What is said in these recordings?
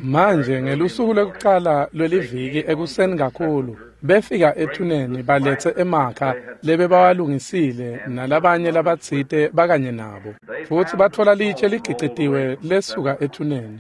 Manje ngelusuku lwekucala lweliviki ekuseni kakhulu befika ethuneni baletse emakha lebebawalungisile nalabanye labatsite bakanye nabo, futsi batfola litshe ligicitiwe lesuka ethuneni,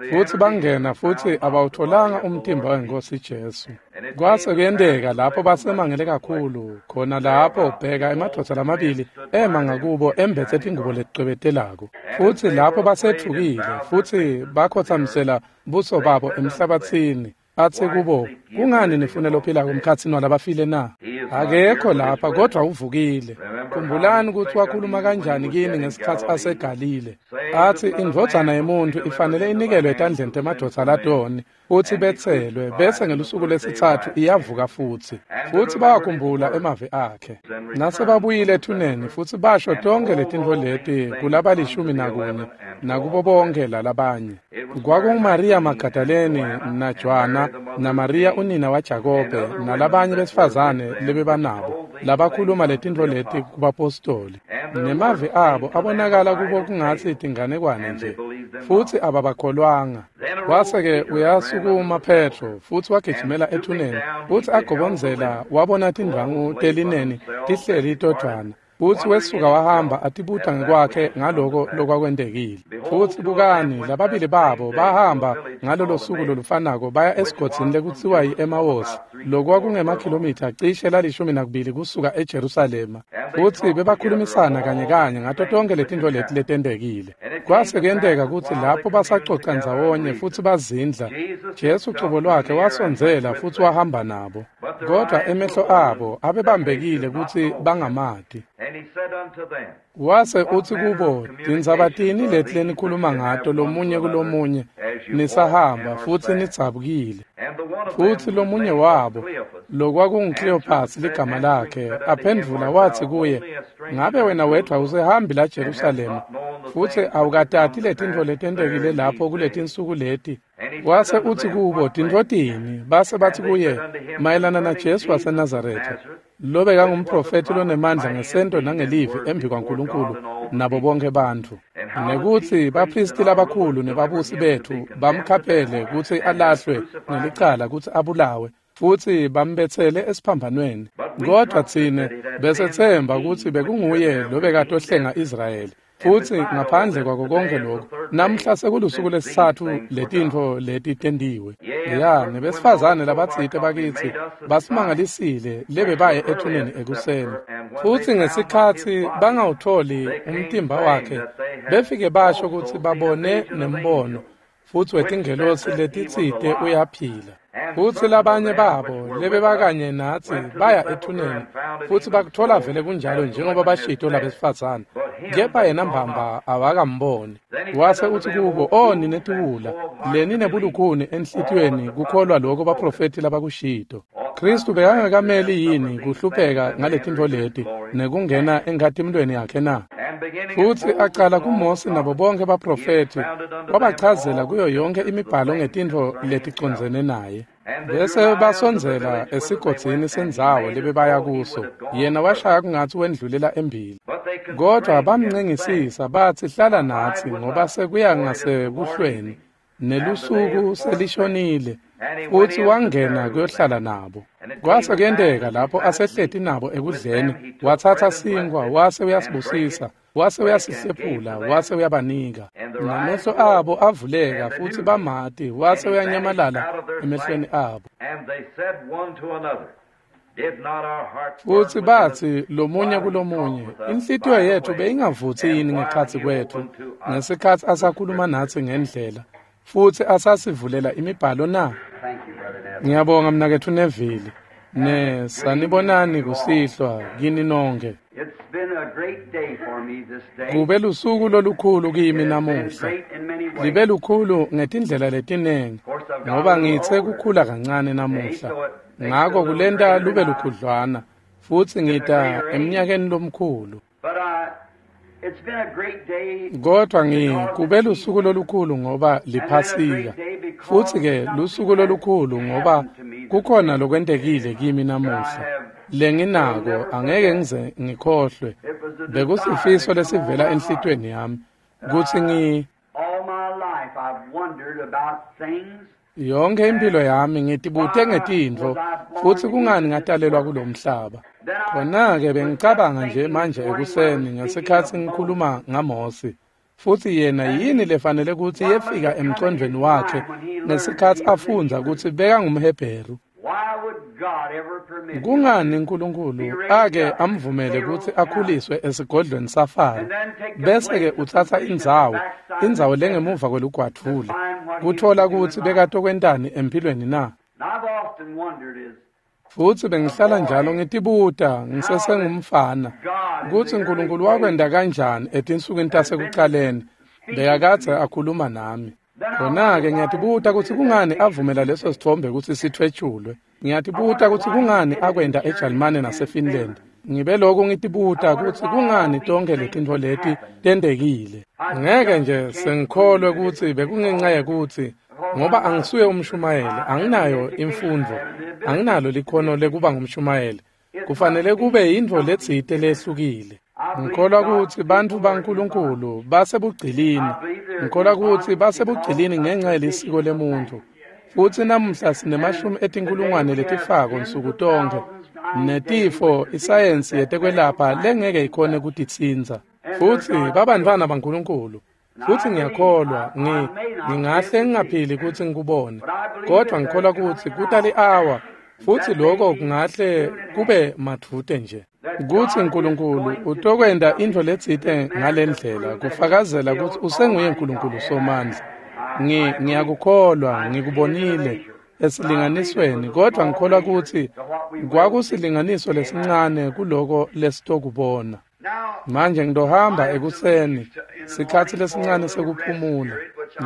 futsi bangena futsi abawutfolanga umtimba weNkhosi Jesu. Kwase kuyenteka lapho basemangele kakhulu khona lapho bheka emadvodza lamabili ema ngakubo embetse tingubo leticwebetelako, futsi lapho basetfukile futsi bakhotsamisela buso babo emhlabatsini. Atsi kubo, kungani nifune lophilako emkhatsini walabafile na? Akekho lapha kodvwa uvukile. Khumbulani ukuthi wakhuluma kanjani kini ngesikhatsi aseGalile. Atsi indvodzana yemuntfu ifanele inikelwe etandleni temadvodza latoni, futsi betselwe, bese ngelusuku lesitsatfu iyavuka futsi. Futsi bayakhumbula emavi akhe. Nasebabuyile ethuneni futsi basho tonkhe letintfo leti kulabalishumi nakunye nakubo bonke lalabanye. KwakunguMariya Magadalene naJohana naMariya unina waJakobe nalabanye besifazane lebebanabo labakhuluma letintfo leti kubapostoli. Nemavi abo abonakala kubo kungatsi tinganekwane nje, futsi ababakholwanga. Wase-ke uyasukuma Petro futsi wagijimela ethuneni, futsi agobondzela wabona tindvwangu telineni tihleli todvwana, futsi wesuka wahamba atibuta ngekwakhe ngaloko lokwakwentekile. Futsi bukani, lababili babo bahamba ngalolo suku lolufanako baya esigodzini lekutsiwa yi-Emawosi, lokwakungemakhilomitha cishe la12 kusuka eJerusalema, futsi bebakhulumisana kanye kanye ngato tonkhe letintfo leti letentekile. Kwase kuyenteka kutsi lapho basacoca ndzawonye futsi bazindla, Jesu cobo lwakhe wasondzela futsi wahamba nabo, kodvwa emehlo abo abebambekile kutsi bangamati. Wase utsi kubo, tindzaba tini leti lenikhuluma ngato lomunye kulomunye nisahamba futsi nidzabukile? Futsi lomunye wabo, lokwakunguKleyophasi ligama lakhe, aphendvula watsi kuye, ngabe wena wedvwa usehambi la Jerusalema, futsi awukatati letintfo letentekile lapho kuletinsuku leti? Wase utsi kubo, tintfo tini? Base batsi kuye, mayelana naJesu waseNazaretha, lobekangumprofethi lonemandla ngesento nangelivi embi kwaNkulunkulu nabo bonke bantfu, nekutsi baphristi labakhulu nebabusi betfu bamkhaphele kutsi alahlwe ngelicala kutsi abulawe, futsi bambetsele esiphambanweni. Kodvwa tsine besetsemba kutsi bekunguye lobekatohlenga Israyeli. Futsi ngaphandle kwako konke lokhu, namhla sekulusuku lesitsatfu letintfo leti tentiwe. Ya, nebesifazane labatsite bakitsi basimangalisile lebebaye ethuneni ekuseni. Futsi ngesikhatsi bangawutfoli umtimba wakhe, befike basho kutsi babone nembono futsi wetingelosi letitsite uyaphila. Futsi labanye babo lebebakanye natsi baya ethuneni futsi bakutfola vele kunjalo njengoba bashito labesifazane, kepha yena mbamba awakamboni. Wase utsi kubo, o nine tiwula, leni nebulukhuni enhlitiyweni kukholwa loko baprofethi labakushito. Khristu bekangakameli yini kuhlupheka ngaletintfo leti nekungena enkhatimulweni yakhe na? Futsi acala kuMose nabo bonke baprofethi, wabachazela kuyo yonke imibhalo ngetintfo leticondzene naye. Bese basondzela esigodzini sendzawo lebebaya kuso, yena washaya kungatsi wendlulela embili. Kodvwa bamncengisisa batsi, hlala natsi ngoba sekuya ngasebuhlweni nelusuku selishonile, futsi wangena kuyohlala nabo. Kwase kuyenteka lapho asehleti nabo ekudleni, watsatsa sinkhwa wase uyasibusisa, wase uyasihlephula, wase uyabanika. Namehlo abo avuleka futsi bamati, wase uyanyamalala emehlweni abo. Futsi batsi lomunye kulomunye, inhlitiyo yetfu beyingavutsi yini ngekhatsi kwetfu ngesikhatsi asakhuluma natsi ngendlela, futsi asasivulela imibhalo na? Ngiyabonga mnaketfu Neville. Ne sanibonani kusihlwa kini nonke. Kube lusuku lolukhulu kimi namuhla. Libe lukhulu ngetindlela letinengi, ngoba ngitse kukhula kancane namuhla. Ngako kulenta lube lukhudlwana, futsi ngita eminyakeni lomkhulu. Kodvwa kube lusuku lolukhulu ngoba liphasika, futsi-ke lusuku lolukhulu ngoba kukhona lokwentekile kimi namuhla lenginako angeke ngize ngikhohlwe. Bekusifiso lesivela enhlitiyweni yami kutsi Yonke impilo yami ngitibute ngetintfo futsi kungani ngatalelwa kulomhlaba. Khona-ke bengicabanga nje manje ekuseni ngesikhatsi ngikhuluma ngaMosi. Futsi yena yini lefanele kutsi yefika emcondvweni wakhe ngesikhatsi afundza kutsi bekangumHebheru. Kungani uNkulunkulu ake amvumele kutsi akhuliswe esigodlweni saFaro bese-ke utsatsa indzawo lengemuva kwelugwadvule kutfola kutsi bekatokwentani empilweni na? Futsi bengihlala njalo ngitibuta ngisesengumfana kutsi uNkulunkulu wakwenta kanjani etinsukwini tasekucaleni bekakadze akhuluma nami. Khona-ke ngiyatibuta kutsi kungani avumela leso sitfombe kutsi sitfwetjulwe. Ngiyatibuta kutsi kungani akwenta eJalimane naseFinland. Ngibe lokhu ngitibuta kutsi kungani tonke letintfo leti tentekile. Ngeke nje sengikholwe kutsi bekungenxa yekutsi ngoba angisuye umshumayeli, anginayo imfundvo, anginalo likhono lekuba ngumshumayeli. Kufanele kube yintfo letsite lehlukile. Ngikholwa kutsi bantfu baNkulunkulu basebugcilini. Ngikholwa kutsi basebugcilini ngenxa yelisiko lemuntfu. Futsi namuhla sinemashumi etinkulungwane letifako nsuku tonkhe netifo isayensi yetekwelapha lengeke ikhone kutitsintsa. Futsi babantfwana baNkulunkulu. Futsi ngiyakholwa ngingahle ngingaphili kutsi ngikubone, kodvwa ngikholwa kutsi kuta li-awa futsi lokho kungahle kube madvute nje kutsi uNkulunkulu utokwenta intfo letsite ngalendlela kufakazela kutsi usenguye uNkulunkulu somandla. Ngiyakukholwa, ngikubonile esilinganisweni, kodvwa ngikholwa kutsi kwakusilinganiso lesincane kuloko lesitokubona. Manje ngitohamba ekuseni sikhatsi lesincane sekuphumula.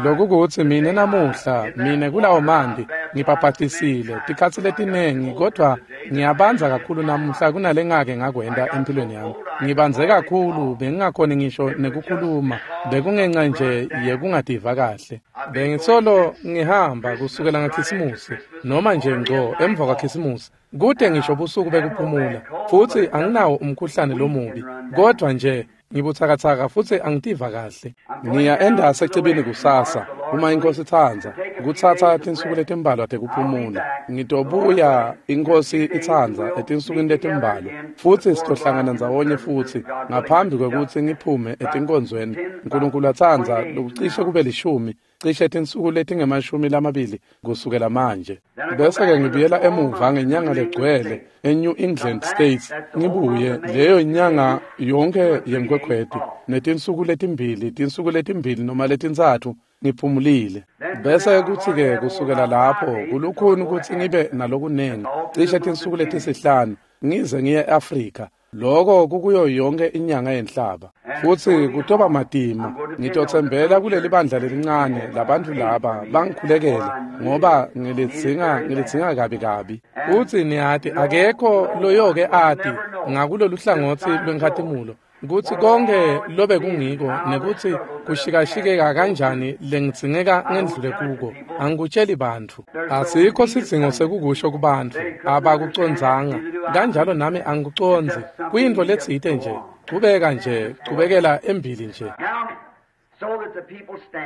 Lokhu kutsi mine namuhla, mine kulawo manti ngibhabhatisile tikhatsi letinengi, kodvwa ngiyabandza kakhulu namuhla kunalengake ngakwenta empilweni yami. Ngibandze kakhulu bengingakhoni ngisho nekukhuluma, bekungenxa nje yekungativa kahle. Bengisolo ngihamba kusukela ngaKhisimusi noma nje ngco emva kwaKhisimusi. Kude ngisho busuku bekuphumula, futsi anginawo umkhuhlane lomubi, kodvwa nje ngibutsakatsaka futsi angitiva kahle. Ngiya endase ecibini kusasa, uma iNkhosi itsandza, kutsatsa tinsuku letimbalwa tekuphumula. Ngitobuya iNkhosi itsandza etinsukwini letimbalwa, futsi sitohlangana ndzawonye futsi ngaphambi kwekutsi ngiphume etinkonzweni. Nkulunkulu atsandza lokucishe kube 10, cishe tinsuku letingama-20 kusukela manje. Bese-ke ngibuyela emuva ngenyanga legcwele eNew England States, ngibuye leyo nyanga yonke yenkhwekhweti netinsuku letimbili, tinsuku letimbili noma letintsatfu ngiphumulile. Bese kutsi-ke kusukela lapho kulukhuni kutsi ngibe nalokunengi, cishe tinsuku letisihlanu ngize ngiye e-Afrika. Lokho kukuyo yonke inyanga yenhlaba. Futsi kutoba matima. Ngitotsembela kuleli bandla lelincane labantu laba bangikhulekele ngoba ngilidzinga kabi kabi. Futsi niyati akekho loyoke ati ngakulolu hlangotsi lwenkhatimulo kutsi konke lobe kungiko nekutsi kushikashikeka kanjani lengidzingeka ngendlule kuko. Angikutsheli bantfu. Asikho sidzingo sekukusho kubantfu. Abakucondzanga. Kanjalo nami angikucondzi. Kuyintfo letsite nje. Chubeka nje, chubekela embili nje.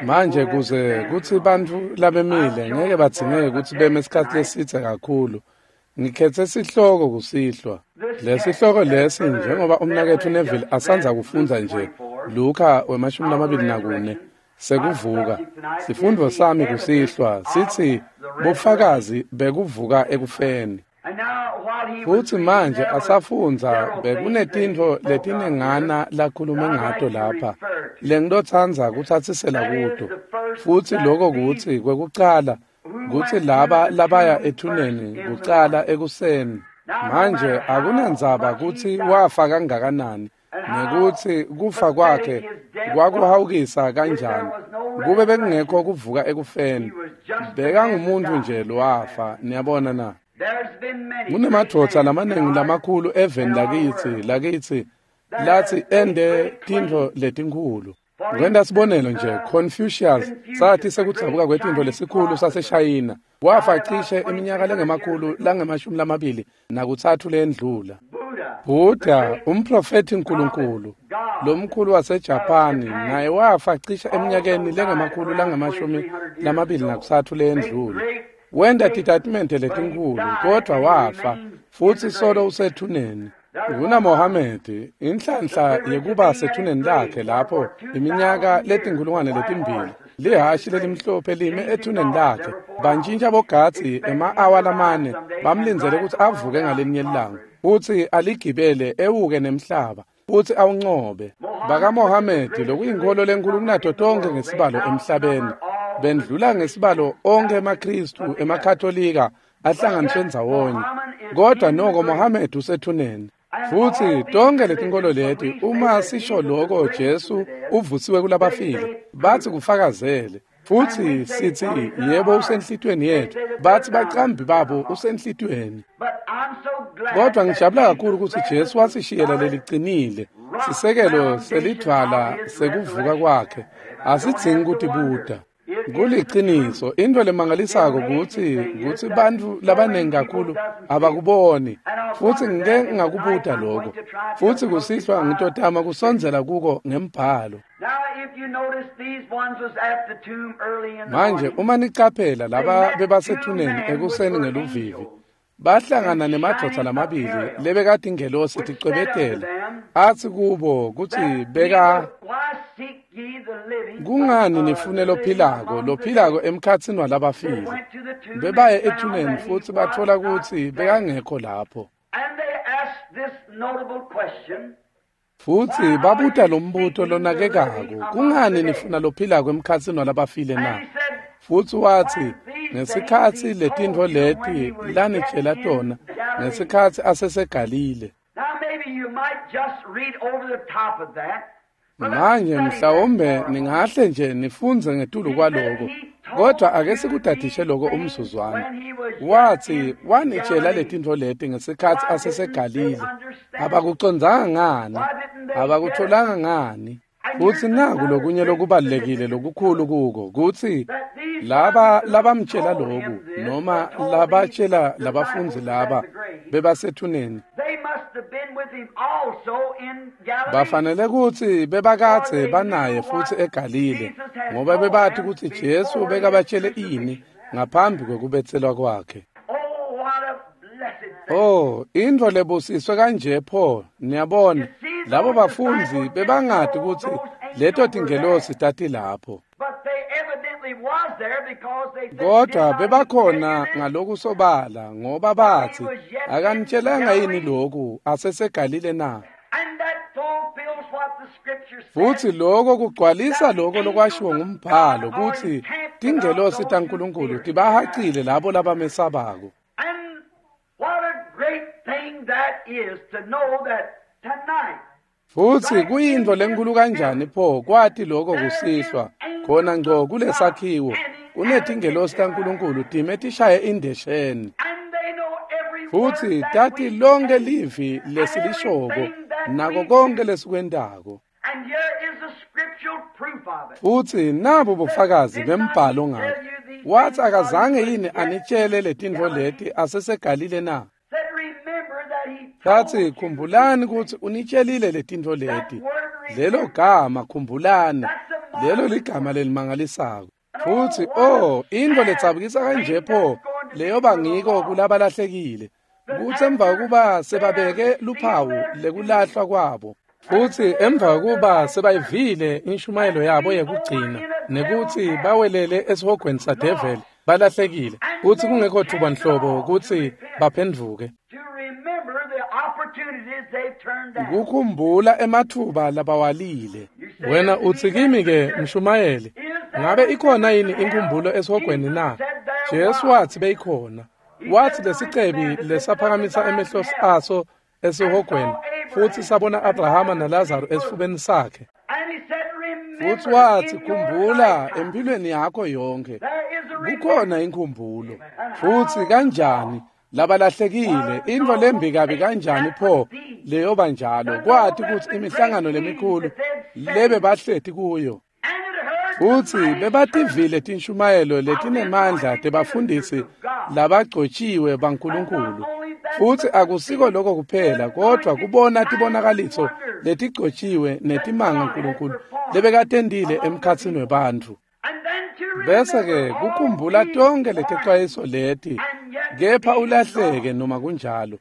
Manje kuze kutsi bantfu labemile ngeke badzingeke kutsi beme isikhatsi lesidze kakhulu. Ngikhetse sihloko kusihlwa. Lesihloko lesi njengoba umnaketfu Neville asandza kufundza nje Luka 24 sekuvuka. Sifundvo sami kusihlwa sitsi bufakazi bekuvuka ekufeni. Futsi manje asafundza bekunetintfo letinengana lakhulume ngato lapha lengitotsandza kutsatsisela kuto. Futsi lokho kutsi kwekucala kutsi laba labaya ethuneni kucala ekuseni. Manje akunandzaba kutsi wafa kangakanani nekutsi kufa kwakhe kwakuhawukisa kanjani. Kube bekungekho kuvuka ekufeni, bekangumuntu nje lowafa. Niyabona na? Kunemadvodza lamaningi lamakhulu eveni lakithi lathi ende tintfo letinkhulu. Kwenta sibonelo nje, Confucius sathi sekudzabuka kwetintfo lesikhulu saseShayina wafa cishe iminyaka lengemakhulu langama-23 lendlula. Buddha, umprofethi Nkulunkulu lomkhulu waseJapani, naye wafa cishe eminyakeni lengama-223 leyendlule. Wenta titatimende letinkhulu, kodvwa wafa futsi solo usethuneni. KunaMohamedi, inhlanhla yekuba sethuneni lakhe lapho iminyaka 2000 lihashi lelimhlophe lime ethuneni lakhe. Bantjintja bogadzi ema-awa lamane bamlindzele kutsi avuke ngalinye ilanga futsi aligibele ewuke nemhlaba futsi awuncobe. BakaMohamedi, lokuyinkholo lenkhulu kunato tonkhe ngesibalo emhlabeni, bendlula ngesibalo onkhe emaKhristu emaKhatolika ahlanganiswe ndzawonye, kodwa noko Mohamedi usethuneni. Futsi tonke letinkholo leti, uma sisho loko Jesu uvusiwe kulabafile, bathi kufakazele. Futsi sithi yebo usenhlitweni yethu, bathi bacambi babo usenhlitweni. Kodwa ngijabula kakhulu ukuthi Jesu wasishiyela leliqinile sisekelo selidvwala sekuvuka kwakhe. Asidzingi kutibuta. Kuliciniso, into lemangalisako kutsi bantfu labanengi kakhulu abakuboni, futsi ngike ngakubuta lokho, futsi kusihlwa ngitotama kusondzela kuko ngembhalo. Manje uma nicaphela laba bebasethuneni ekuseni ngeluvivi, bahlangana nemadvodza lamabili lebekatingelosi ticwebetela, atsi kubo kutsi beka kungani nifune lophilako emkhatsini walabafile. Bebaye ethuneni futsi batfola kutsi bekangekho lapho. Futsi babuta lombuto lonakekako, kungani nifuna lophilako emkhatsini walabafile na? Futsi watsi, ngesikhatsi letintfo leti lanitjela tona, ngesikhatsi aseseGalile. Manje mhlawumbe ningahle nje nifundze ngetulu kwaloko, kodwa ake sikudadishe loko umzuzwana. Watsi wanitjela letintfo leti ngesikhatsi aseseGalile. Abakucondzanga ngani? Abakutholanga ngani? Futsi naku lokunye lokubalulekile lokukhulu kuko, kutsi laba labamtjela loku, noma labatjela labafundzi laba bebasethuneni, bafanele kutsi bebakadze banaye futsi eGalile, ngoba bebati kutsi Jesu bekabatjele ini ngaphambi kwekubetselwa kwakhe. Oh, intfo lebusiswe kanje pho, niyabona, labo bafundzi bebangati kutsi leto tingelosi tatilapho. Kodwa bebakhona ngalokusobala, ngoba bathi, akanitshelanga yini lokhu aseseGalile na? Futsi lokho kugcwalisa lokho lokwashiwo ngumbhalo kutsi tingelosi taNkulunkulu tibahacile labo labamesabako. Futsi kuyintfo lenkulu kanjani pho kwati lokho kusihlwa khona ngco kulesakhiwo kunetingelosi taNkulunkulu time tishaye indesheni, futsi tati lonke livi lesilishoko nako konke lesikwentako. Futsi nabo bufakazi bembhalo ngakho. Wathi akazange yini anitshele letintfo leti aseseGalile na? Thatsi khumbulani kutsi unitshelile letintfo leti. Lelo gama khumbulani, lelo ligama lelimangalisako. Futsi oh, intfo letsabukisa kanje pho leyoba ngiko kulabalahlekile, kutsi emva kokuba sebabeke luphawu lekulahlwa kwabo, futsi emva kokuba sebayivile inshumayelo yabo yekugcina nekutsi bawelele esihogweni sadeveli balahlekile, futsi kungekho thuba nhlobo kutsi baphendvuke. Kukhumbula emathuba labawalile. Wena utsi kimi ke mshumayeli, ngabe ikhona yini inkhumbulo esihogweni na? Jesu wathi beyikhona. Wathi lesicebi lesaphakamisa emehlo aso esihogweni futsi sabona Abrahama naLazaro esifubeni sakhe. Futsi wathi khumbula empilweni yakho yonke kukhona inkhumbulo. Futsi kanjani labalahlekile, intfo lembi kabi kanjani pho leyoba njalo, kwati kutsi imihlangano lemikhulu lebe bahleti kuyo, futsi bebativile tinshumayelo letinemandla tebafundisi labagcotshiwe baNkulunkulu. Futsi akusiko lokho kuphela, kodwa kubona tibonakaliso letigcotjiwe netimanga Nkulunkulu lebekatentile emkhatsini webantfu. Bese-ke kukhumbula tonke letexwayiso leti, kepha ulahleke noma kunjalo.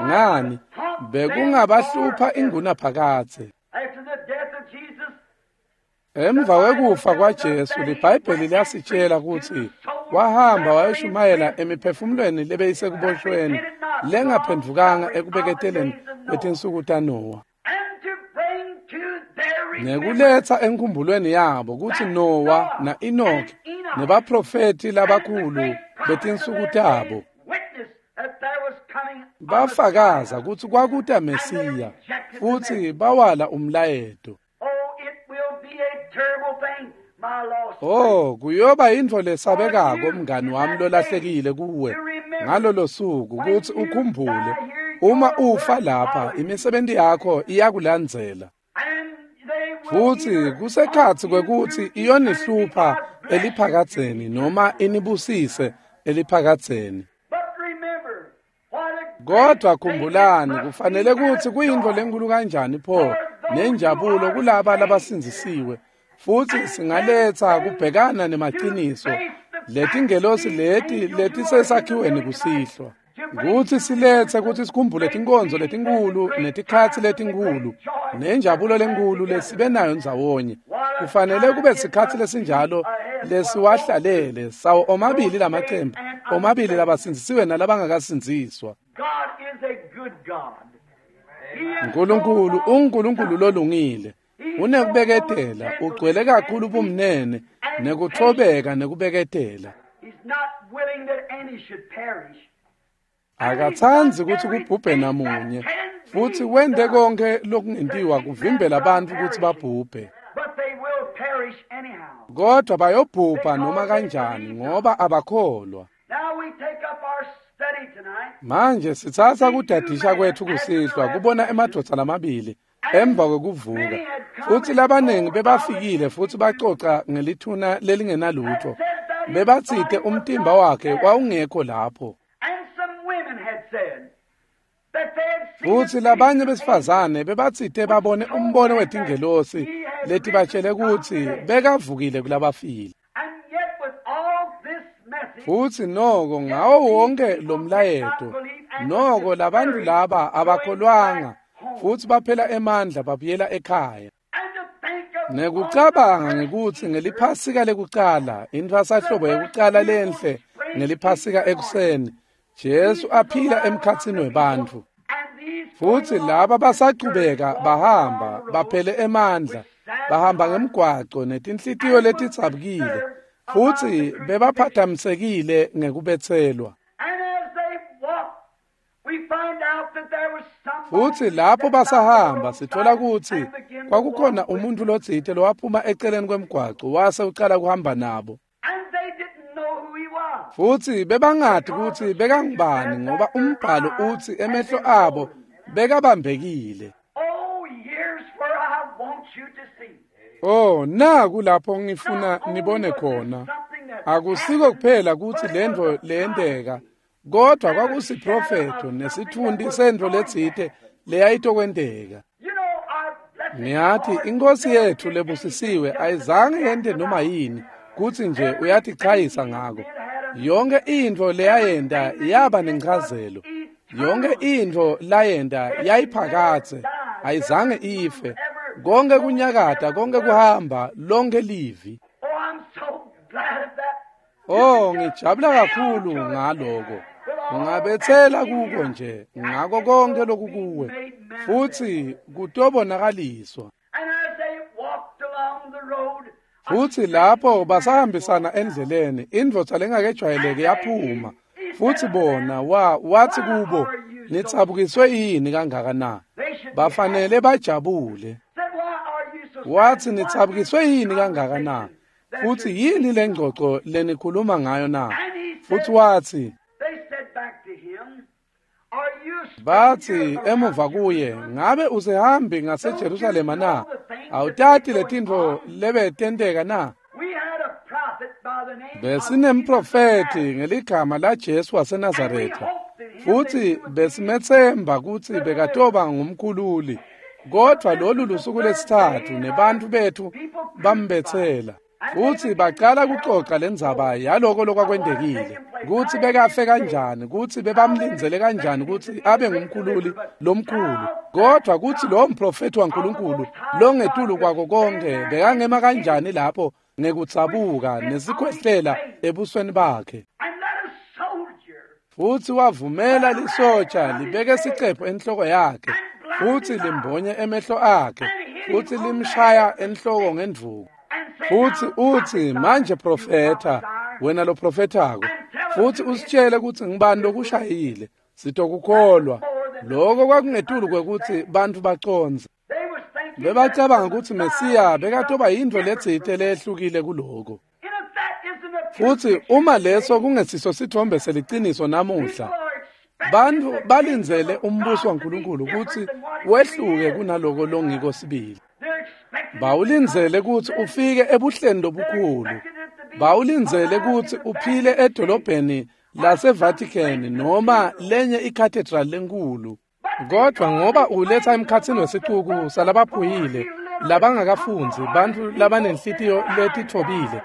Ngani, bekungabahlupha ingunaphakadze. Emva kwekufa kwaJesu, liBhayibheli liyasitshela kutsi wahamba wayoshumayela emiphefumulweni lebeyisekuboshweni lengaphendvukanga ekubeketeleni kwetinsuku taNowa, nekuletsa enkhumbulweni yabo kutsi Nowa na-Enoki nebaprofethi labakhulu betinsuku tabo bafakaza kutsi kwakuta Mesiya, futsi bawala umlayeto. Oh, kuyoba yintfo lesabekako mngani wami lolahlekile kuwe ngalolo suku kutsi ukhumbule uma ufa lapha imisebenti yakho iyakulandzela. Futsi kusekhatsi kwekutsi iyonihlupha eliphakadzeni noma inibusise eliphakadzeni. Kodwa khumbulani, kufanele kutsi kuyintfo lenkulu kanjani pho nenjabulo kulaba labasindzisiwe. Futsi singaletsa kubhekana nemaciniso letingelosi leti letisesakhiweni kusihlwa, kutsi siletse kutsi sikhumbule tinkonzo letinkhulu netikhatsi letinkhulu nenjabulo lenkulu lesibe nayo ndzawonye. Kufanele kube sikhatsi lesinjalo lesiwahlalele sawo omabili lamacembu, omabili labasindzisiwe nalabangakasindziswa. Nkulunkulu unguNkulunkulu lolungile, unekubeketela, ugcwele kakhulu bumnene nekutfobeka nekubeketela. Akatsandzi kutsi kubhubhe namunye, futsi wente konke lokungentiwa kuvimbela bantfu kutsi babhubhe. Kodwa bayobhubha noma kanjani ngoba abakholwa. Manje sitsatsa kudadisha kwethu kusihlwa kubona emadvodza lamabili emva kwekuvuka, futsi labaningi bebafikile futsi bacoca ngelithuna lelingenalutfo. Bebatsite umtimba wakhe wawungekho lapho. Futsi labanye besifazane bebatsite babone umbono wetingelosi letibatshele kutsi bekavukile kulabafile. Futsi noko ngawo wonke lo mlayeto, noko labantu laba abakholwanga, futsi baphela emandla babuyela ekhaya. Nekucabanga ngekutsi ngeliphasika lekucala, intfwasahlobo yekucala lenhle ngeliphasika ekuseni, Jesu aphila emkhatsini webantfu. Futsi laba basachubeka bahamba baphele emandla, bahamba ngemgwaco netinhlitiyo letidzabukile, futsi bebaphathamisekile ngekubetselwa. Futsi lapho basahamba sithola kutsi kwakukhona umuntfu lotsite lowaphuma eceleni kwemgwaco wase ucala kuhamba nabo. Futsi bebangati kutsi bekangubani ngoba umbhalo utsi emehlo abo bekabambekile. Oh, naku lapho ngifuna nibone khona. Akusiko kuphela kutsi lentfo leyenteka, kodwa kwakusiprofetho nesitfunti sentfo letsite leyayitokwenteka. Ngiyati iNkosi yethu lebusisiwe ayizange yente noma yini kutsi nje uyatichayisa ngako. Yonke intfo leyayenta yaba nenchazelo. Yonke intfo layenta yayiphakadze, ayizange ife. Konke kunyakata, konke kuhamba, lonke livi. Oh, ngijabula kakhulu ngaloko. Ungabetsela kuko nje ngako konke lokukuwe, futsi kutobonakaliswa. Futsi lapho basahambisana endleleni, indvodza lengakejwayeleki yaphuma. Futsi bona wathi kubo, nitsabukiswe yini kangaka na? Bafanele bajabule. Wathi, nitsabukiswe yini kangaka na? Futsi yini lengcoco lenikhuluma ngayo na? Futsi wathi, bathi emuva kuye, ngabe usehambi ngaseJerusalema na? Awutati letintfo lebetenteka na? Besinemprofethi ngeligama laJesu waseNazaretha. Futsi besimethemba kutsi bekatoba ngumkhululi. Kodvwa lolu lusuku lesithathu nebantfu betfu bambetsela. Futsi bacala kucoca lendzaba yaloko lokwakwendekile, kutsi bekafe kanjani, kutsi bebamlindzele kanjani kutsi abe ngumkhululi lomkhulu. Kodvwa kutsi lowo mprofethi waNkulunkulu longetulu kwako konkhe bekangema kanjani lapho ngekudzabuka nesikhwehlela ebusweni bakhe. Futsi wavumela lisotsha libeke sicephu enhloko yakhe, futsi limbonye emehlo akhe, futsi limshaya enhloko ngendvuku. Futsi utsi, manje profetha, wena lo profethako, futsi usitshele kutsi ngibani lokushayile, sitokukholwa. Lokho kwakungetulu kwekutsi bantfu bacondze. Bebacabanga kutsi Mesiya bekatoba yintfo letsite leyehlukile kuloko. Futsi uma leso kungesiso sitfombe seliciniso namuhla, bantfu balindzele umbuso waNkulunkulu kutsi wehluke kunaloko longiko sibili. Bawulindzele kutsi ufike ebuhleni lobukhulu. Bawulindzele kutsi uphile edolobheni laseVatican noma lenye icathedral lenkulu. Kodvwa ngoba uletha emkhatsini wesicuku salabaphuyile, labangakafundzi, bantfu labanenhlitiyo letitfobile,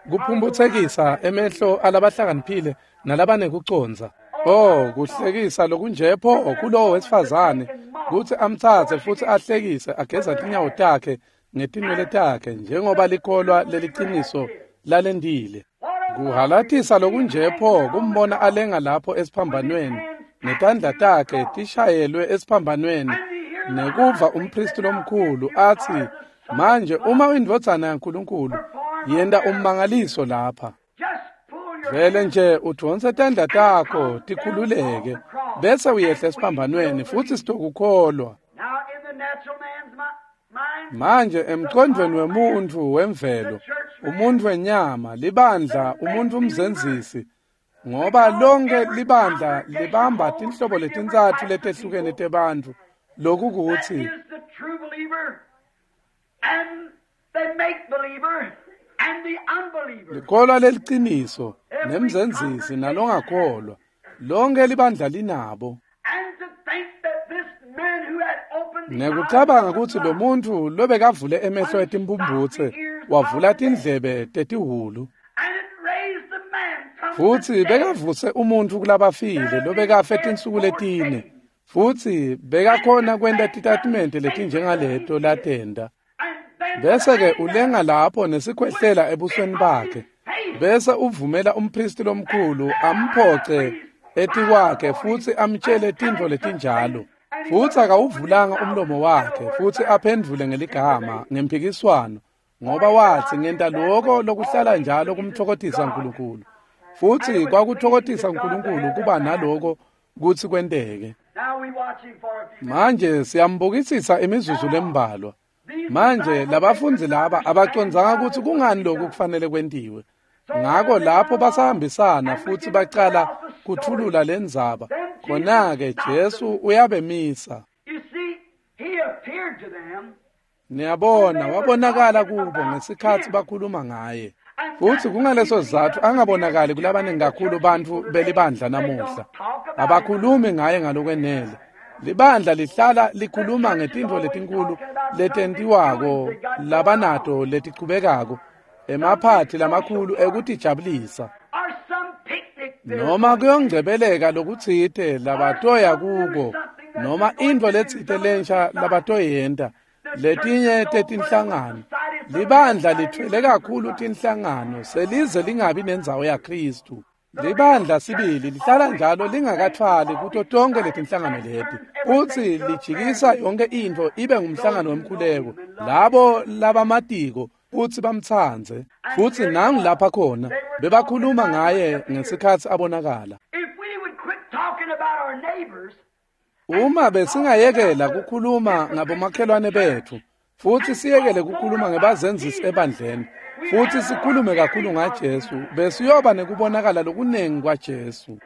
kuphumphutsekisa emehlo alabahlakaniphile nalabanekucondza. Oh, kuhlekisa lokunje pho kulowo wesifazane kutsi amtsatse futsi ahlekise ageza tinyawo takhe ngetinwele takhe njengoba likholwa leliciniso lalendile. Kuhalatisa lokunje pho kumbona alenga lapho esiphambanweni netandla takhe tishayelwe esiphambanweni, nekuva umpristi lomkhulu atsi, manje uma uyindvodzana yaNkulunkulu, yenta ummangaliso lapha. Vele nje udvonse tandla takho tikhululeke bese uyehla esiphambanweni futsi sitokukholwa. Manje emcondvweni wemuntfu wemvelo, umuntfu wenyama, libandla, umuntfu umzenzisi, ngoba lonke libandla libamba tinhlobo letintsatfu letehlukene tebantfu, lokukutsi likholwa leliciniso nemzenzisi nalongakholwa, lonke libandla linabo. Nekucabanga kutsi lo muntfu lobekavule emehlo etimphumphutse wavula tindlebe tetihhulu, futsi bekavuse umuntfu kulabafile lobekafe tinsuku letine, futsi bekakhona kwenta titatimende letinjengaleto latenta. Bese-ke ulenga lapho nesikhwehlela ebusweni bakhe, bese uvumela umpristi lomkhulu amphoce etikwakhe futsi amtshele tintfo letinjalo. Futsi akawuvulanga umlomo wakhe futsi aphendvule ngeligama ngemphikiswano, ngoba watsi ngenta lokho lokuhlala njalo kumtfokotisa uNkulunkulu. Futsi kwakutfokotisa uNkulunkulu kuba naloko kutsi kwenteke. Manje siyambukisisa imizuzu lembalwa. Manje labafundzi laba abacondzanga kutsi kungani lokhu kufanele kwentiwe. Ngako lapho basahambisana futsi bacala kuthulula lendzaba, khona-ke Jesu uyabemisa. Niyabona, wabonakala kubo ngesikhatsi bakhuluma ngaye. Futsi kungaleso sizatfu angabonakali kulabaningi kakhulu bantfu belibandla namuhla. Abakhulumi ngaye ngalokwenele. Libandla lihlala likhuluma ngetintfo letinkulu letentiwako labanato letichubekako, emaphathi lamakhulu ekutijabulisa, noma kuyongcebeleka lokutsite labatoya kuko, noma intfo letsite lensha labatoyenta, letinye tetinhlangano. Libandla lithwele kakhulu tinhlangano selize lingabi nendzawo yaKhristu. Libandla sibili lihlala njalo lingakathwali kuto tonke letinhlangano leti, futsi lijikisa yonke intfo ibe ngumhlangano wemkhuleko, labo labamatiko futsi bamtsandze. Futsi nangu lapha khona bebakhuluma ngaye ngesikhatsi abonakala. Uma besingayekela kukhuluma ngabomakhelwane betfu, futsi siyekele kukhuluma ngebazenzisi ebandleni, futsi sikhulume kakhulu ngaJesu, besiyoba nekubonakala lokunengi kwaJesu.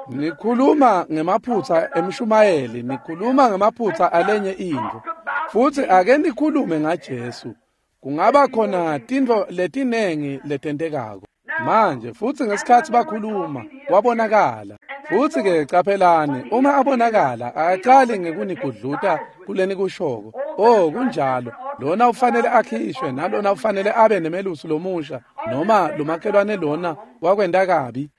Nikhuluma ngemaphutsa emshumayeli, nikhuluma ngemaphutsa alenye intfo, futsi ake nikhulume ngaJesu. Kungaba khona tintfo letinengi letentekako. Manje futsi ngesikhatsi bakhuluma, wabonakala. Futsi-ke caphelani, uma abonakala, akacali ngekunigudluta kulenikushoko. Oh, kunjalo. Lona ufanele akhishwe, nalona ufanele abe nemelusi lomusha, noma lomakhelwane lona wakwenta kabi.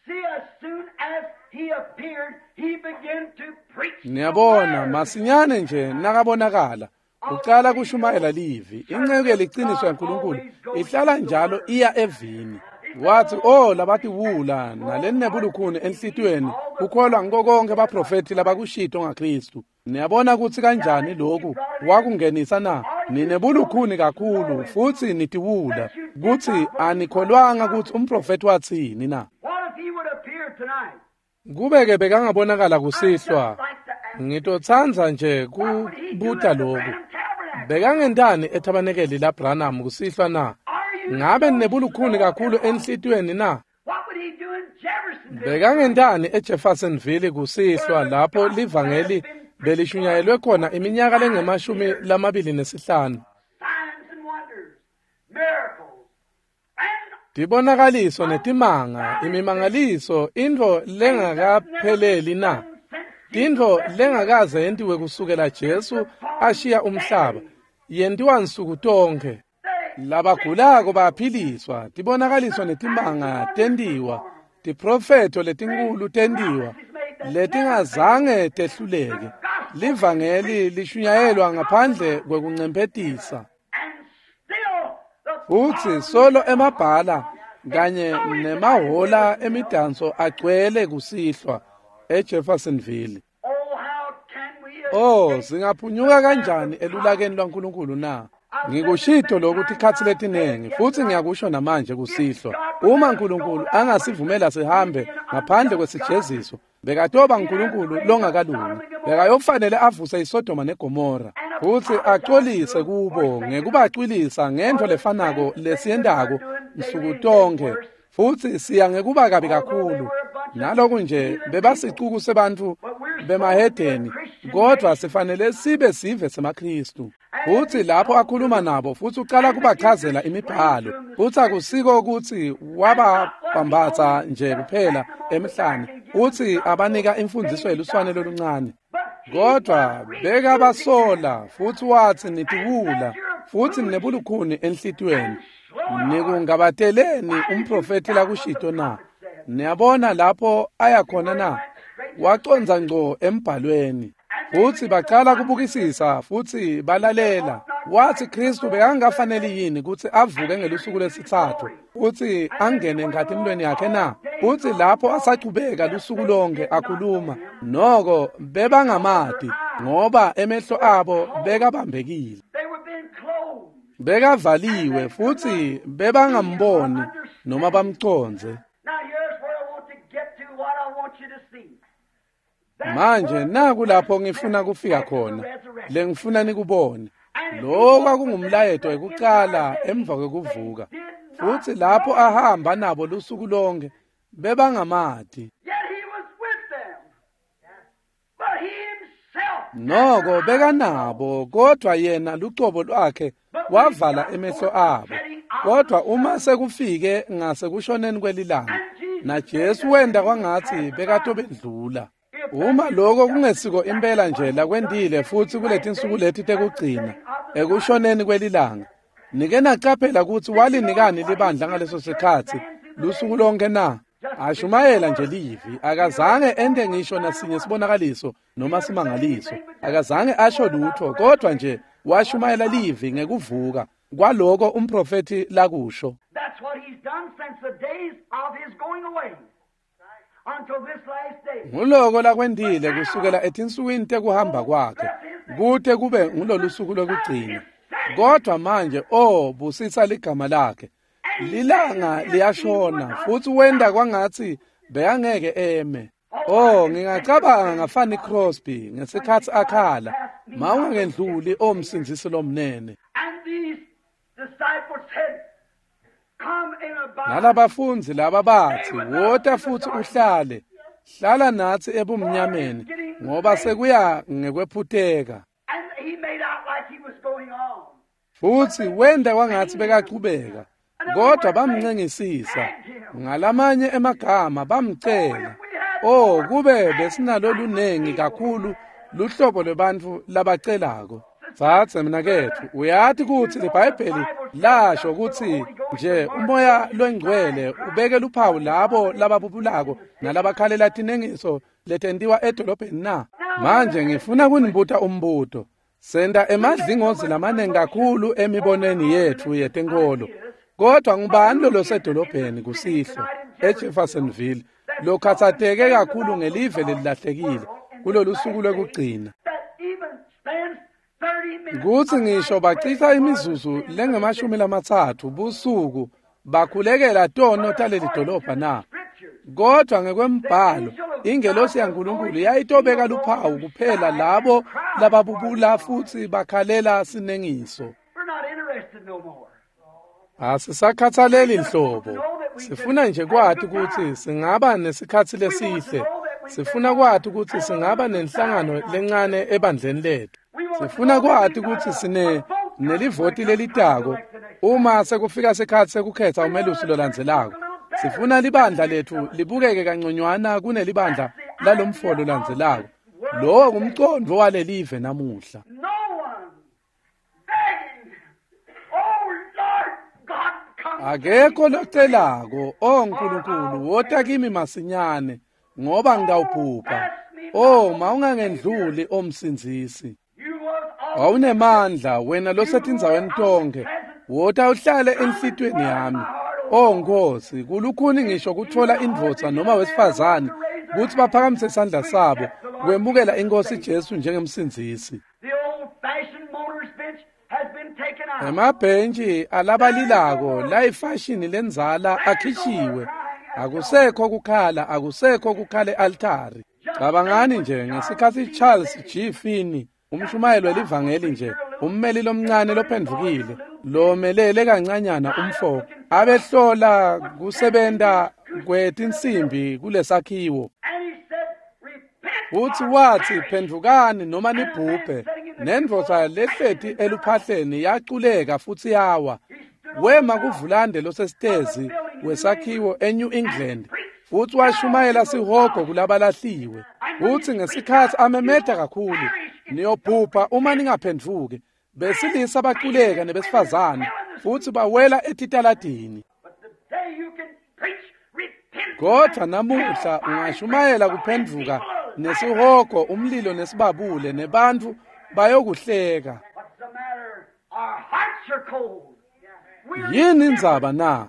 Niyabona, masinyane nje nakabonakala, ucala kushumayela livi. Inceku yeliciniso yaNkulunkulu ihlala njalo iya evini. Wathi, oh, labatiwula nalenebulukhuni enhlitiyweni kukholwa ngiko konke baprofethi labakushito ngaKristu. Niyabona kutsi kanjani lokhu wakungenisa na? Ninebulukhuni kakhulu futsi nitiwula kutsi anikholwanga kutsi umprofethi watsini na? Kube-ke bekangabonakala kusihlwa, ngitotsandza nje kubuta lokhu. Bekangentani ethabanekeli laBranham kusihlwa na? Ngabe ninebulukhuni kakhulu enhlitiyweni na? Bekangentani eJeffersonville kusihlwa lapho livangeli belishunyayelwe khona iminyaka lengama-25? Tibonakaliso netimanga, imimangaliso, intfo lengakapheleli na? Tintfo lengakaze yentiwe kusukela Jesu ashiya umhlaba, yentiwa nsuku tonkhe. Labagulako baphiliswa, tibonakaliso netimanga tentiwa, tiprofetho letinkulu tentiwa, letingazange tehluleke. Livangeli lishunyayelwa ngaphandle kwekuncemphetisa. Futsi solo emabhala kanye nemahola emidanso agcwele kusihlwa eJeffersonville. Oh, singaphunyuka kanjani elulakeni lwaNkulunkulu na? Ngikushito lokhu tikhatsi letinengi futsi ngiyakusho namanje kusihlwa. Uma uNkulunkulu angasivumela sihambe ngaphandle kwesijeziso, bekatoba uNkulunkulu longakalungi. Bekayofanele avuse iSodoma neGomora futsi acolise kubo ngekubacwilisa ngentfo lefanako lesiyentako nsuku tonkhe, futsi siya ngekuba kabi kakhulu. Naloku nje bebasicuku sebantfu bemahedeni, kodvwa sifanele sibe sive semaKristu. Futsi lapho akhuluma nabo futsi ucala kubachazela imibhalo, futsi akusiko kutsi wababhambatsa nje kuphela emhlane, utsi abanika imfundziso yeluswane loluncane, kodvwa bekabasola futsi watsi nitiwula futsi ninebulukhuni enhlitiyweni. Nikungabateleni umprofethi lakushito na? Niyabona lapho aya khona na? Wacondza ngco embhalweni. Futsi bacala kubukisisa futsi balalela. Watsi Kristu bekangafaneli yini kutsi avuke ngelusuku lwesitsatfu futsi angene enkhatimulweni yakhe na? Futsi lapho asachubeka lusuku lonke akhuluma, noko bebangamati ngoba emehlo abo bekabambekile. Bekavaliwe futsi bebangamboni noma bamcondze. Manje naku lapho ngifuna kufika khona, lengifuna nikubone. Lo kwakungumlayeto wekucala emva kwekuvuka. Futsi lapho ahamba nabo lusuku lonke, bebangamati. Noko bekanabo, kodvwa yena lucobo lwakhe wavala emehlo abo. Kodvwa uma sekufike ngasekushoneni kwelilanga, naJesu wenta kwangatsi bekatobendlula. Uma lokho kungesiko impela nje lakwentile futsi kuletinsuku leti tekugcina ekushoneni kwelilanga, nike nacaphela kutsi walinikani libandla ngaleso sikhatsi lusuku lonke na? Ashumayela nje livi, akazange ente ngisho nasinye sibonakaliso noma simangaliso, akazange asho lutho, kodvwa nje washumayela livi ngekuvuka kwaloko umprofethi lakusho. Nguloko lakwentile kusukela etinsukwini tekuhamba kwakhe kute kube ngulolusuku lwekugcina. Kodvwa manje, oh, busisa ligama lakhe. Lilanga liyashona futsi wenta kwangatsi bekangeke eme. Oh, ngingacabanga ngaFanny Crosby ngesikhatsi akhala, mawungendluli o Msindzisi lomnene. Nalabafundzi laba batsi, wota futsi uhlale, hlala natsi ebumnyameni, ngoba sekuya ngekwephuteka. Futsi wenta kwangatsi bekachubeka, kodvwa bamncengisisa. Ngalamanye emagama bamcela. O, kube besinalolunengi kakhulu luhlobo lwebantfu labacelako. Tsatse mnaketfu, uyati kutsi liBhayibheli lasho kutsi nje umoya longcwele ubeke luphawu labo lababubulako nalabakhalela tinengiso letentiwa edolobheni na? Manje ngifuna kunibuta umbuto. Senta emadlingozi lamanengi kakhulu emibonweni yetfu yetenkholo. Kodwa ngubani lolosedolobheni kusihlwa eJeffersonville lokhatsateke kakhulu ngelive lelilahlekile kulolu suku lwekugcina? Kutsi ngisho bacitsa imizuzu lengemashumi 30 busuku bakhulekela tono taleli dolobha na? Kodwa ngekwembhalo ingelosi yaNkulunkulu yayitobeka luphawu kuphela labo lababubula futsi bakhalela sinengiso. We're not interested no more. Asisakhathaleli nhlobo. Sifuna nje kwati kutsi singaba nesikhatsi lesihle. Sifuna kwati kutsi singaba nenhlangano lencane ebandleni lethu. Sifuna kwati kutsi sine nelivoti lelitako uma sekufika sikhatsi sekukhetsa umelusi lolandzelako. Sifuna libandla letfu libukeke kanconywana kunelibandla lalomfo lolandzelako. Lowo ngumcondvo walelive namuhla. No one begging, Oh Lord God, come. Akekho locelako, o Nkulunkulu, wota kimi masinyane, ngoba ngitawubhubha. O, mawungangendluli omsindzisi. You was all Wawunemandla wena losetindzaweni tonkhe. Wota uhlale enhlitiyweni yami. O Nkosi, kulukhuni ngisho kutfola indvodza noma wesifazane kutsi baphakamise isandla sabo kwemukela iNkosi Jesu njengemsindzisi. The old-fashioned mourner's bench has been taken out. Emabhentshi alabalilako layifashini lendzala akhishiwe. Akusekho kukhala, akusekho kukhala e-altari. Cabangani nje ngesikhatsi Charles G. Finney, umshumayeli welivangeli nje, ummeli lomncane lophendvukile, lomelele kancanyana umfo, abehlola kusebenta kwetinsimbi kulesakhiwo. And he said, Repent. Futsi or wathi, perish. phendvukani noma nibhubhe. Nendvodza lehleti eluphahleni yaculeka futsi yawa. Wema kuvulande losesitezi wesakhiwo eNew England futsi washumayela sihogo kulabalahliwe. Futsi ngesikhatsi amemeta kakhulu, niyobhubha uma ningaphendvuki. Besilisa baculeka nebesifazane futsi bawela etitaladini. But today you can preach repentance. Kodwa namuhla ungashumayela kuphendvuka nesihogo, umlilo nesibabule, nebantfu bayokuhleka. What's the matter? Our hearts are cold. We're Yini indzaba na?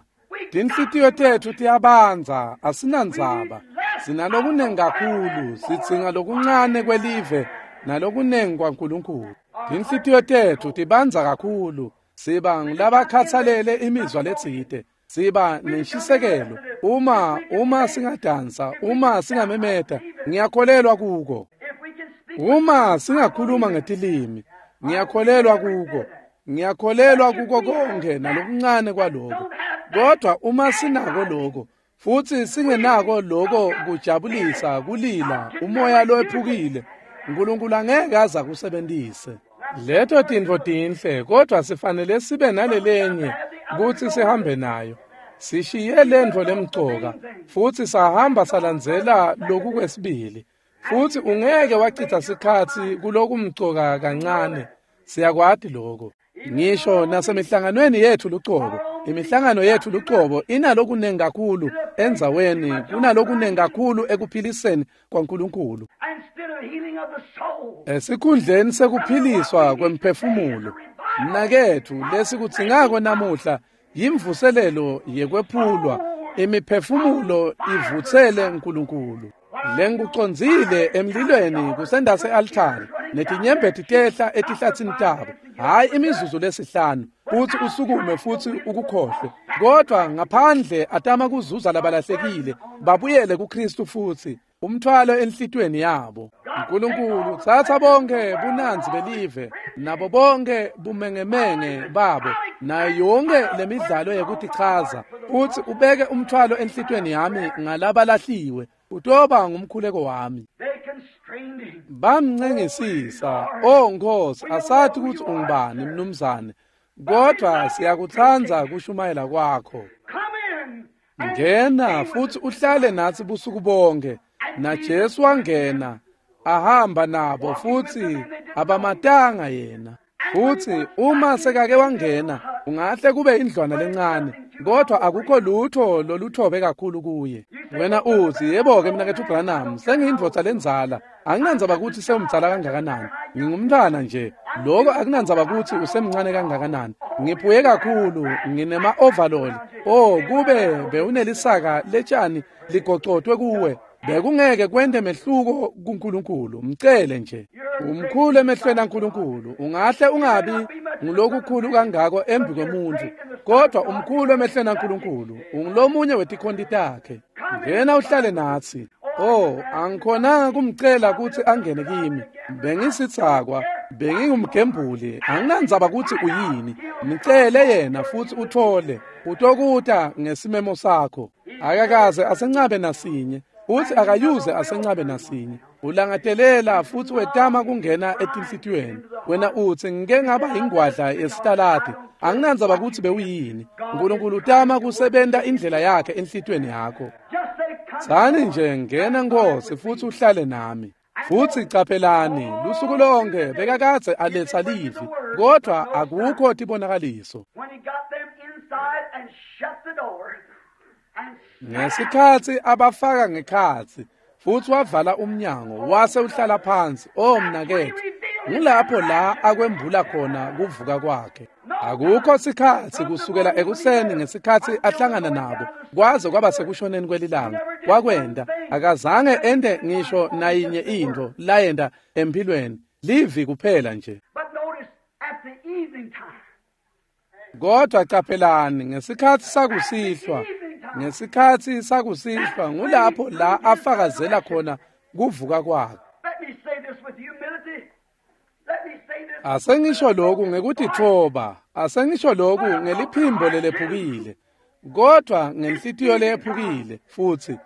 Tinhlitiyo tetfu tiyabandza, asinandzaba. Sinalokunengi kakhulu, sidzinga lokuncane kwelive nalokunengi kwaNkulunkulu. Tinhlitiyo tetfu tibandza kakhulu, siba ngulabakhatsalele imizwa letsite. Siba nenshisekelo uma singadansa, uma singamemeta, ngiyakholelwa kuko. If we can speak Uma singakhuluma ngetilimi, ngiyakholelwa kuko. Ngiyakholelwa kuko konke nalokuncane kwaloko. Kodwa uma sinako lokho futsi singenako lokho kujabulisa, kulila, umoya lowephukile, uNkulunkulu angeke aze akusebentise. Leto tintfo tinhle, kodwa sifanele sibe nalelenye kutsi sihambe nayo. Sishiye lentfo lemcoka futsi sahamba salandzela loku kwesibili. Futsi ungeke wacitsa sikhatsi kulokumcoka kancane. Siyakwati lokho. Ngisho nasemihlanganweni yetfu lucobo, imihlangano yetfu lucobo inalokunengi kakhulu endzaweni kunalokunengi kakhulu ekuphiliseni kwaNkulunkulu. instead of healing of the soul. Esikhundleni sekuphiliswa kwemphefumulo, mnaketfu, lesikudzingako namuhla yimvuselelo yekwephulwa, imiphefumulo ivutsele uNkulunkulu. Lengikucondzile emlilweni kusendase-altari, netinyembeti tehla etihlatsini tabo, hhayi imizuzu lesihlanu, kutsi usukume futsi ukukhohlwe, kodwa ngaphandle atama kuzuza labalahlekile babuyele kuKristu futsi umthwalo enhlitiyweni yabo. uNkulunkulu, tsatsa bonke bunandzi belive nabo bonke bumengemenge babo nayo yonke lemidlalo yekutichaza, futsi ubeke umthwalo enhlitiyweni yami ngalabalahliwe. Utoba ngumkhuleko wami. They constrained him. Bamncengisisa, o Nkosi, asathi kutsi ungubani mnumzane, kodwa siyakutsandza kushumayela kwakho. Come in. and Ngena stay with futsi us. uhlale natsi busuku bonke. NaJesu wangena ahamba nabo futsi abamatanga yena. Futsi uma sekake wangena ungahle kube indlwana lencane, kodwa akukho lutho loluthobe kakhulu kuye. Wena uthi, yebo-ke mnaketfu Branham, sengiyindvodza lendzala, anginandzaba kutsi sewumdzala kangakanani, ngingumntfwana nje. Loko akunandzaba kutsi usemncane kangakanani, ngiphuye kakhulu, nginema-overall. Oh, kube bewunelisaka letshani ligocotwe kuwe, bekungeke kwente mehluko kuNkulunkulu. Mcele nje. Umkhulu emehlweni aNkulunkulu. Ungahle ungabi ngulokukhulu kangako embi kwemuntfu, kodwa umkhulu emehlweni aNkulunkulu. Ungulomunye wetikhonti takhe. Ngena uhlale natsi. Oh, angikhonanga kumcela kutsi angene kimi. Bengisitsakwa, bengingumgembuli, anginandzaba kutsi uyini. Mcele yena futsi uthole. Utokuta ngesimemo sakho. Akakaze asencabe nasinye. Uthi akayuze asencabe nasinye. Ulangatelela futsi wetama kungena etinhlitiyweni. Wena uthi ngike ngaba ingwadla yesitaladi, anginandzaba kutsi bewuyini. Nkulunkulu utama kusebenta indlela yakhe enhlitiyweni yakho. Tsani nje, ngena Nkosi futsi uhlale nami. Futsi caphelani, lusuku lonke bekakadze aletsa livi, kodwa akukho tibonakaliso. Ngesikhatsi abafaka ngekhatsi futsi wavala umnyango wase uhlala phansi, oh mnaketfu, ngulapho la akwembula khona kuvuka kwakhe. Akukho sikhatsi kusukela ekuseni ngesikhatsi ahlangana nabo kwaze kwaba sekushoneni kwelilanga. Wakwenda, akazange ente ngisho nayinye intfo layenta emphilweni, livi kuphela nje. Kodwa caphelani, ngesikhatsi sakusihlwa, ngesikhatsi sakusihlwa ngulapho la afakazela khona kuvuka kwakhe. Asengisho lokhu ngekutitfoba, asengisho lokhu ngeliphimbo lelephukile, kodwa ngenhlitiyo leyephukile. Futsi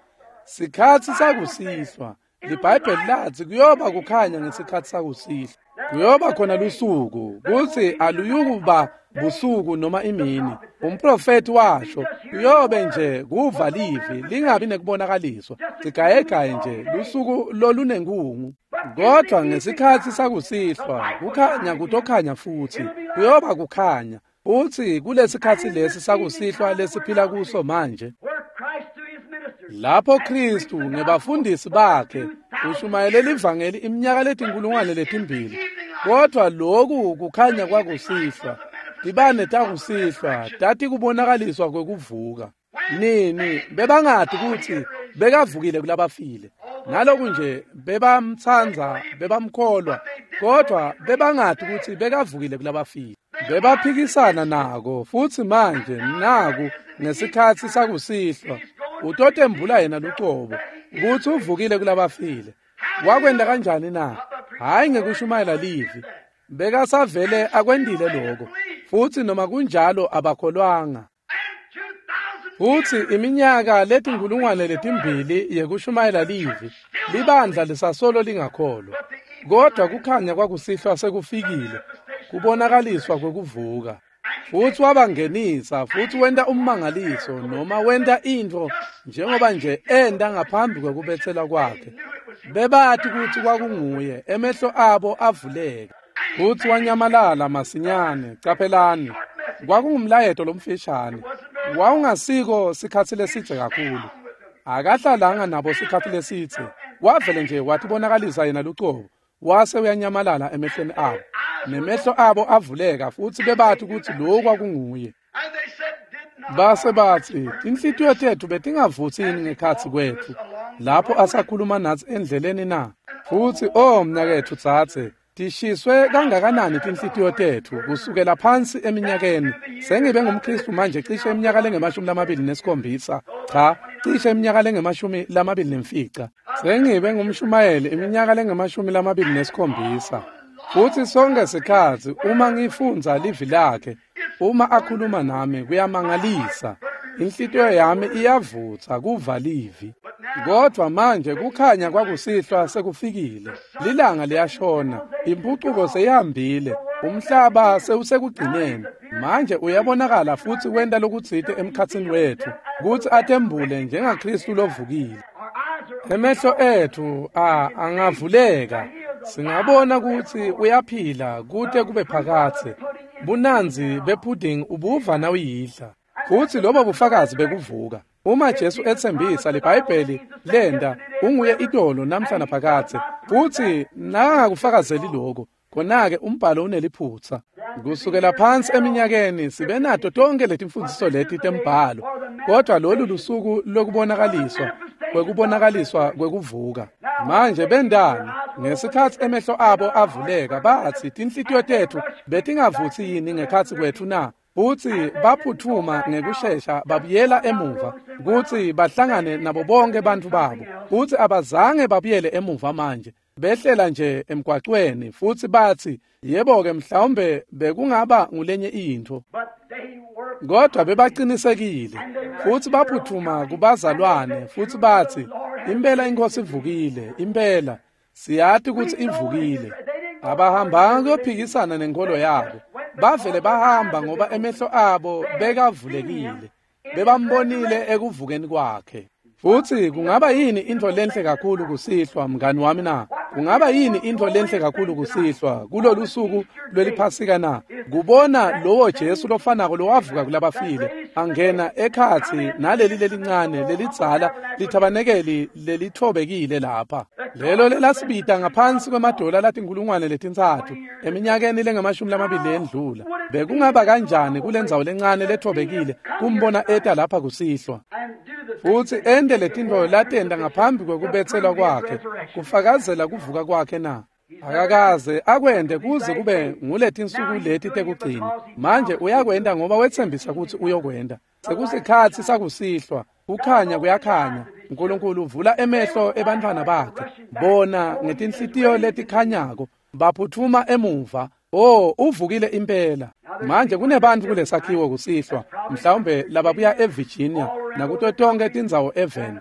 sikhatsi sakusihlwa, liBhayibheli lathi kuyoba kukhanya ngesikhatsi sakusihlwa. Kuyoba khona lusuku kutsi aluyukuba busuku noma imini. Umprofeti washo, kuyobe nje kuva livi lingabi nekubonakaliswa, sigayegaye nje lusuku lolunenkungu. Kodwa ngesikhatsi sakusihlwa kukhanya kutokhanya futsi, kuyoba kukhanya. Utsi kulesikhatsi lesi sakusihlwa lesiphila kuso manje, lapho Kristu ngebafundisi bakhe ushumayele livangeli iminyaka 2000, kodwa loku kukhanya kwakusihlwa, tibane takusihlwa tati kubonakaliswa kwekuvuka. Nini bebangati kutsi bekavukile kulabafile. Naloku nje bebamtsandza, bebamkholwa, kodwa bebangati kutsi bekavukile kulabafile. Bebaphikisana nako futsi manje naku ngesikhatsi sakusihlwa utotembula yena lucobo kutsi uvukile kulabafile. Wakwenta kanjani na? Hhayi ngekushumayela livi, bekasavele akwentile lokho, futsi noma kunjalo abakholwanga. Futsi iminyaka 2000 yekushumayela livi, libandla lisasolo lingakholwa. Kodwa kukhanya kwakusihlwa sekufikile, kubonakaliswa kwekuvuka. Futsi wabangenisa, futsi wenta ummangaliso noma wenta intfo njengoba nje enta ngaphambi kwekubetselwa kwakhe. Bebati kutsi kwakunguye, emehlo abo avuleka. Futsi wanyamalala masinyane. Caphelani, kwakungumlayeto lomfishane, wawungasiko sikhatsi lesidze kakhulu. Akahlalanga nabo sikhatsi lesidze, wavele nje watibonakalisa yena lucobo, wase uyanyamalala emehlweni abo. Nemehlo abo avuleka futsi bebati kutsi lo kwakunguye. Base batsi, tinhlitiyo tetfu betingavutsini ngekhatsi kwetfu lapho asakhuluma natsi endleleni na? Futsi oh mnaketfu dzadze, tishiswe kangakanani tinhlitiyo tetfu kusukela phansi eminyakeni. Sengibe ngumKristu manje cishe iminyaka lengu-27, cha, cishe iminyaka lengu-25. Sengibe ngumshumayeli iminyaka lengu-27. Futsi sonke sikhatsi uma ngifundza livi lakhe, uma akhuluma nami kuyamangalisa. Inhlitiyo yami iyavutsa kuva livi. Kodwa manje kukhanya kwakusihlwa sekufikile, lilanga liyashona, impucuko seyihambile, umhlaba sewusekugcineni. Manje uyabonakala futsi wenta lokutsite emkhatsini wetfu kutsi atembule njengaKristu lovukile. Emehlo ethu angavuleka, singabona kutsi uyaphila kute kube phakadze. Bunandzi bepudding ubuva nawuyidla. Futsi lobo bufakazi bekuvuka. Uma Jesu etsembisa liBhayibheli lenda unguye itolo namhla naphakadze, futsi nakangakufakazeli lokho, khona-ke umbhalo uneliphutsa. Kusukela phansi eminyakeni sibe nato tonke letimfundziso leti tembhalo, kodwa lolu lusuku lokubonakaliswa kwekubonakaliswa kwekuvuka. Manje bendani ngesikhatsi emehlo abo avuleka, batsi tinhlitiyo tetfu betingavutsi yini ngekhatsi kwetfu na? Futsi baphutfuma ngekushesha babuyela emuva kutsi bahlangane nabo bonke bantfu babo. Futsi abazange babuyele emuva manje, behlela nje emgwacweni futsi batsi, yebo-ke, mhlawumbe bekungaba ngulenye intfo. Kodwa bebacinisekile futsi baphutfuma kubazalwane futsi batsi, impela iNkhosi ivukile, impela siyati kutsi ivukile. Abahambanga kuyophikisana nenkolo yabo, bavele bahamba ngoba emehlo abo bekavulekile, bebambonile ekuvukeni kwakhe. Futsi kungaba yini intfo lenhle kakhulu kusihlwa, mngani wami na? Kungaba yini intfo lenhle kakhulu kusihlwa kulolu suku lweliphasika na? Kubona lowo Jesu lofanako lowavuka kulabafile angena ekhatsi naleli lelincane lelidzala lithabanekeli lelithobekile lapha, lelo lelasibita ngaphansi kwemadola latinkhulungwane 3 eminyakeni lengama-20 lendlula. Bekungaba kanjani kulendzawo lencane lethobekile kumbona eta lapha kusihlwa futsi ente letintfo latenta ngaphambi kwekubetselwa kwakhe, kufakazela kuvuka kwakhe na? Akakaze akwente kuze kube nguletinsuku leti tekugcina. Manje uyakwenta ngoba wetsembisa kutsi uyokwenta. Sekusikhatsi sakusihlwa, kukhanya kuyakhanya. Nkulunkulu uvula emehlo ebantfwana bakhe, bona ngetinhlitiyo letikhanyako baphutfuma emuva. Oh, uvukile impela. Manje kunebantfu kulesakhiwo kusihlwa, mhlawumbe lababuya eVirginia nakuto tonke tindzawo eveni.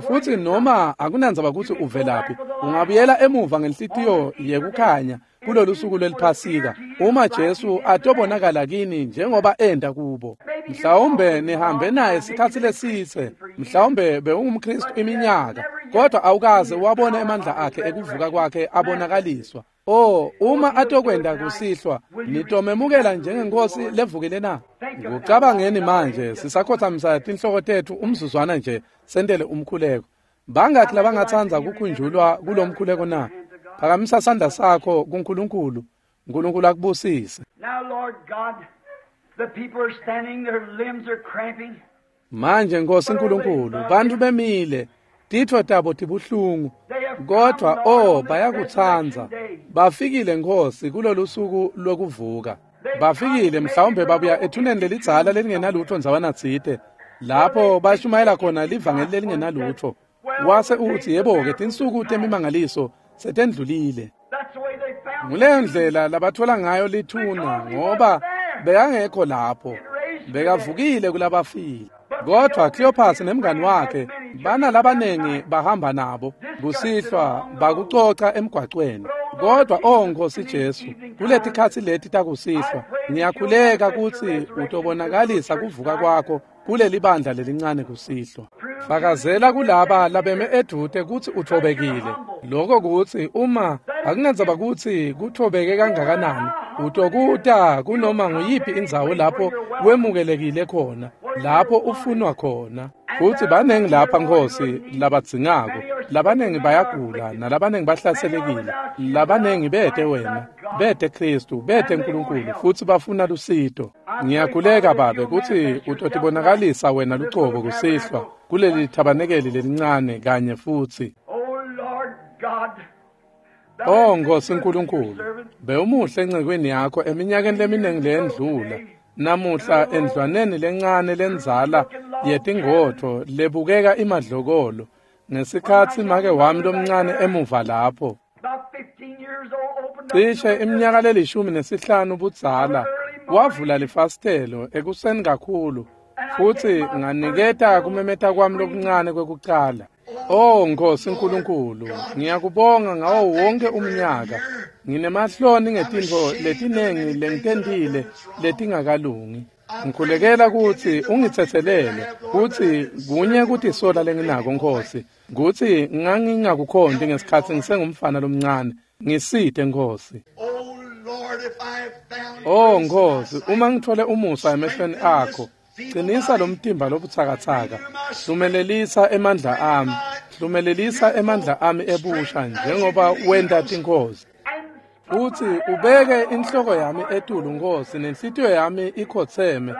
Futsi noma akunandzaba kutsi uvelaphi, ungabuyela emuva ngenhlitiyo yekukhanya kulolu suku lweliphasika uma Jesu atobonakala kini njengoba enta kubo. Mhlawumbe nihambe naye sikhatsi lesitse, mhlawumbe bewungumKristu iminyaka, kodwa awukaze wabona emandla akhe ekuvuka kwakhe abonakaliswa. Oh, uma atokwenta kusihlwa, nitomemukela njengenkosi levukile na? Kucabangeni manje, sisakhothamisa tinhloko tetfu umzuzwana nje, sentele umkhuleko. Bangakhi labangatsandza kukhunjulwa kulomkhuleko na? Phakamisa sandla sakho kuNkulunkulu. Nkulunkulu akubusise. Now, Lord God, the people are standing, their limbs are cramping. Manje Nkosi nkulunkulu, bantfu bemile, titfo tabo tibuhlungu, kodwa oh, bayakutsandza. Bafikile Nkosi kulolu suku lokuvuka. Bafikile mhlawumbe babuya ethuneni lelidzala lelingenalutfo ndzawana tsite, lapho bashumayela khona livangeli lelingenalutfo. Wase utsi, yebo-ke, tinsuku temimangaliso setendlulile. That's the way they found Nguleyo ndlela labathola ngayo lithuna, ngoba bekangekho lapho, bekavukile kulabafile. Kodwa Cleopas nemngani wakhe banalabanengi bahamba nabo kusihlwa bakucoca emgwacweni. Kodwa oh Nkosi Jesu, kuletikhatsi leti takusihlwa ngiyakhuleka kutsi utobonakalisa kuvuka kwakho kuleli bandla lelincane kusihlwa. Fakazela kulaba labeme edvute kutsi uthobekile. Lokho kutsi uma akunandzaba kutsi kuthobeke kangakanani, utokuta kunoma nguyiphi indzawo lapho wemukelekile khona, lapho ufunwa khona. Futsi banengi lapha Nkosi labadzingako, labanengi bayagula, nalabanengi bahlaselekile, labanengi bete wena, bete Kristu, bete Nkulunkulu, futsi bafuna lusito. Ngiyakhuleka Babe kutsi utotibonakalisa wena lucobo kusihlwa kuleli thabanekeli lelincane kanye futsi. Oh, Lord God. Oh Nkosi nkulunkulu, bewumuhle encekweni yakho eminyakeni leminingi leyendlula. Namuhla endlwaneni lencane lendzala yetingotfo lebukeka imadlokolo, ngesikhatsi make wami lomncane emuva lapho, About 15 years old, opened up cishe iminyaka leli-15 budzala, wavula lifasitelo ekuseni kakhulu, futsi nganiketa kumemeta kwami lokuncane kwekucala. Oh Nkosi nkulunkulu, ngiyakubonga ngawo wonke umnyaka. Nginemahloni ngetintfo letinengi lengitentile letingakalungi. Ngikhulekela kutsi ungitsetselele kutsi kunye kutisola lenginako Nkosi, kutsi ngangingakukhonti ngesikhatsi ngisengumfana lomncane. Ngisite Nkosi. Oh Nkosi, uma ngithole umusa emehlweni akho, qinisa lo mtimba lobutsakatsaka, hlumelelisa emandla ami, hlumelelisa emandla ami ebusha njengoba wenta tinkosi. Futhi ubeke inhloko yami etulu Nkosi, nenhlitiyo yami ikhotseme,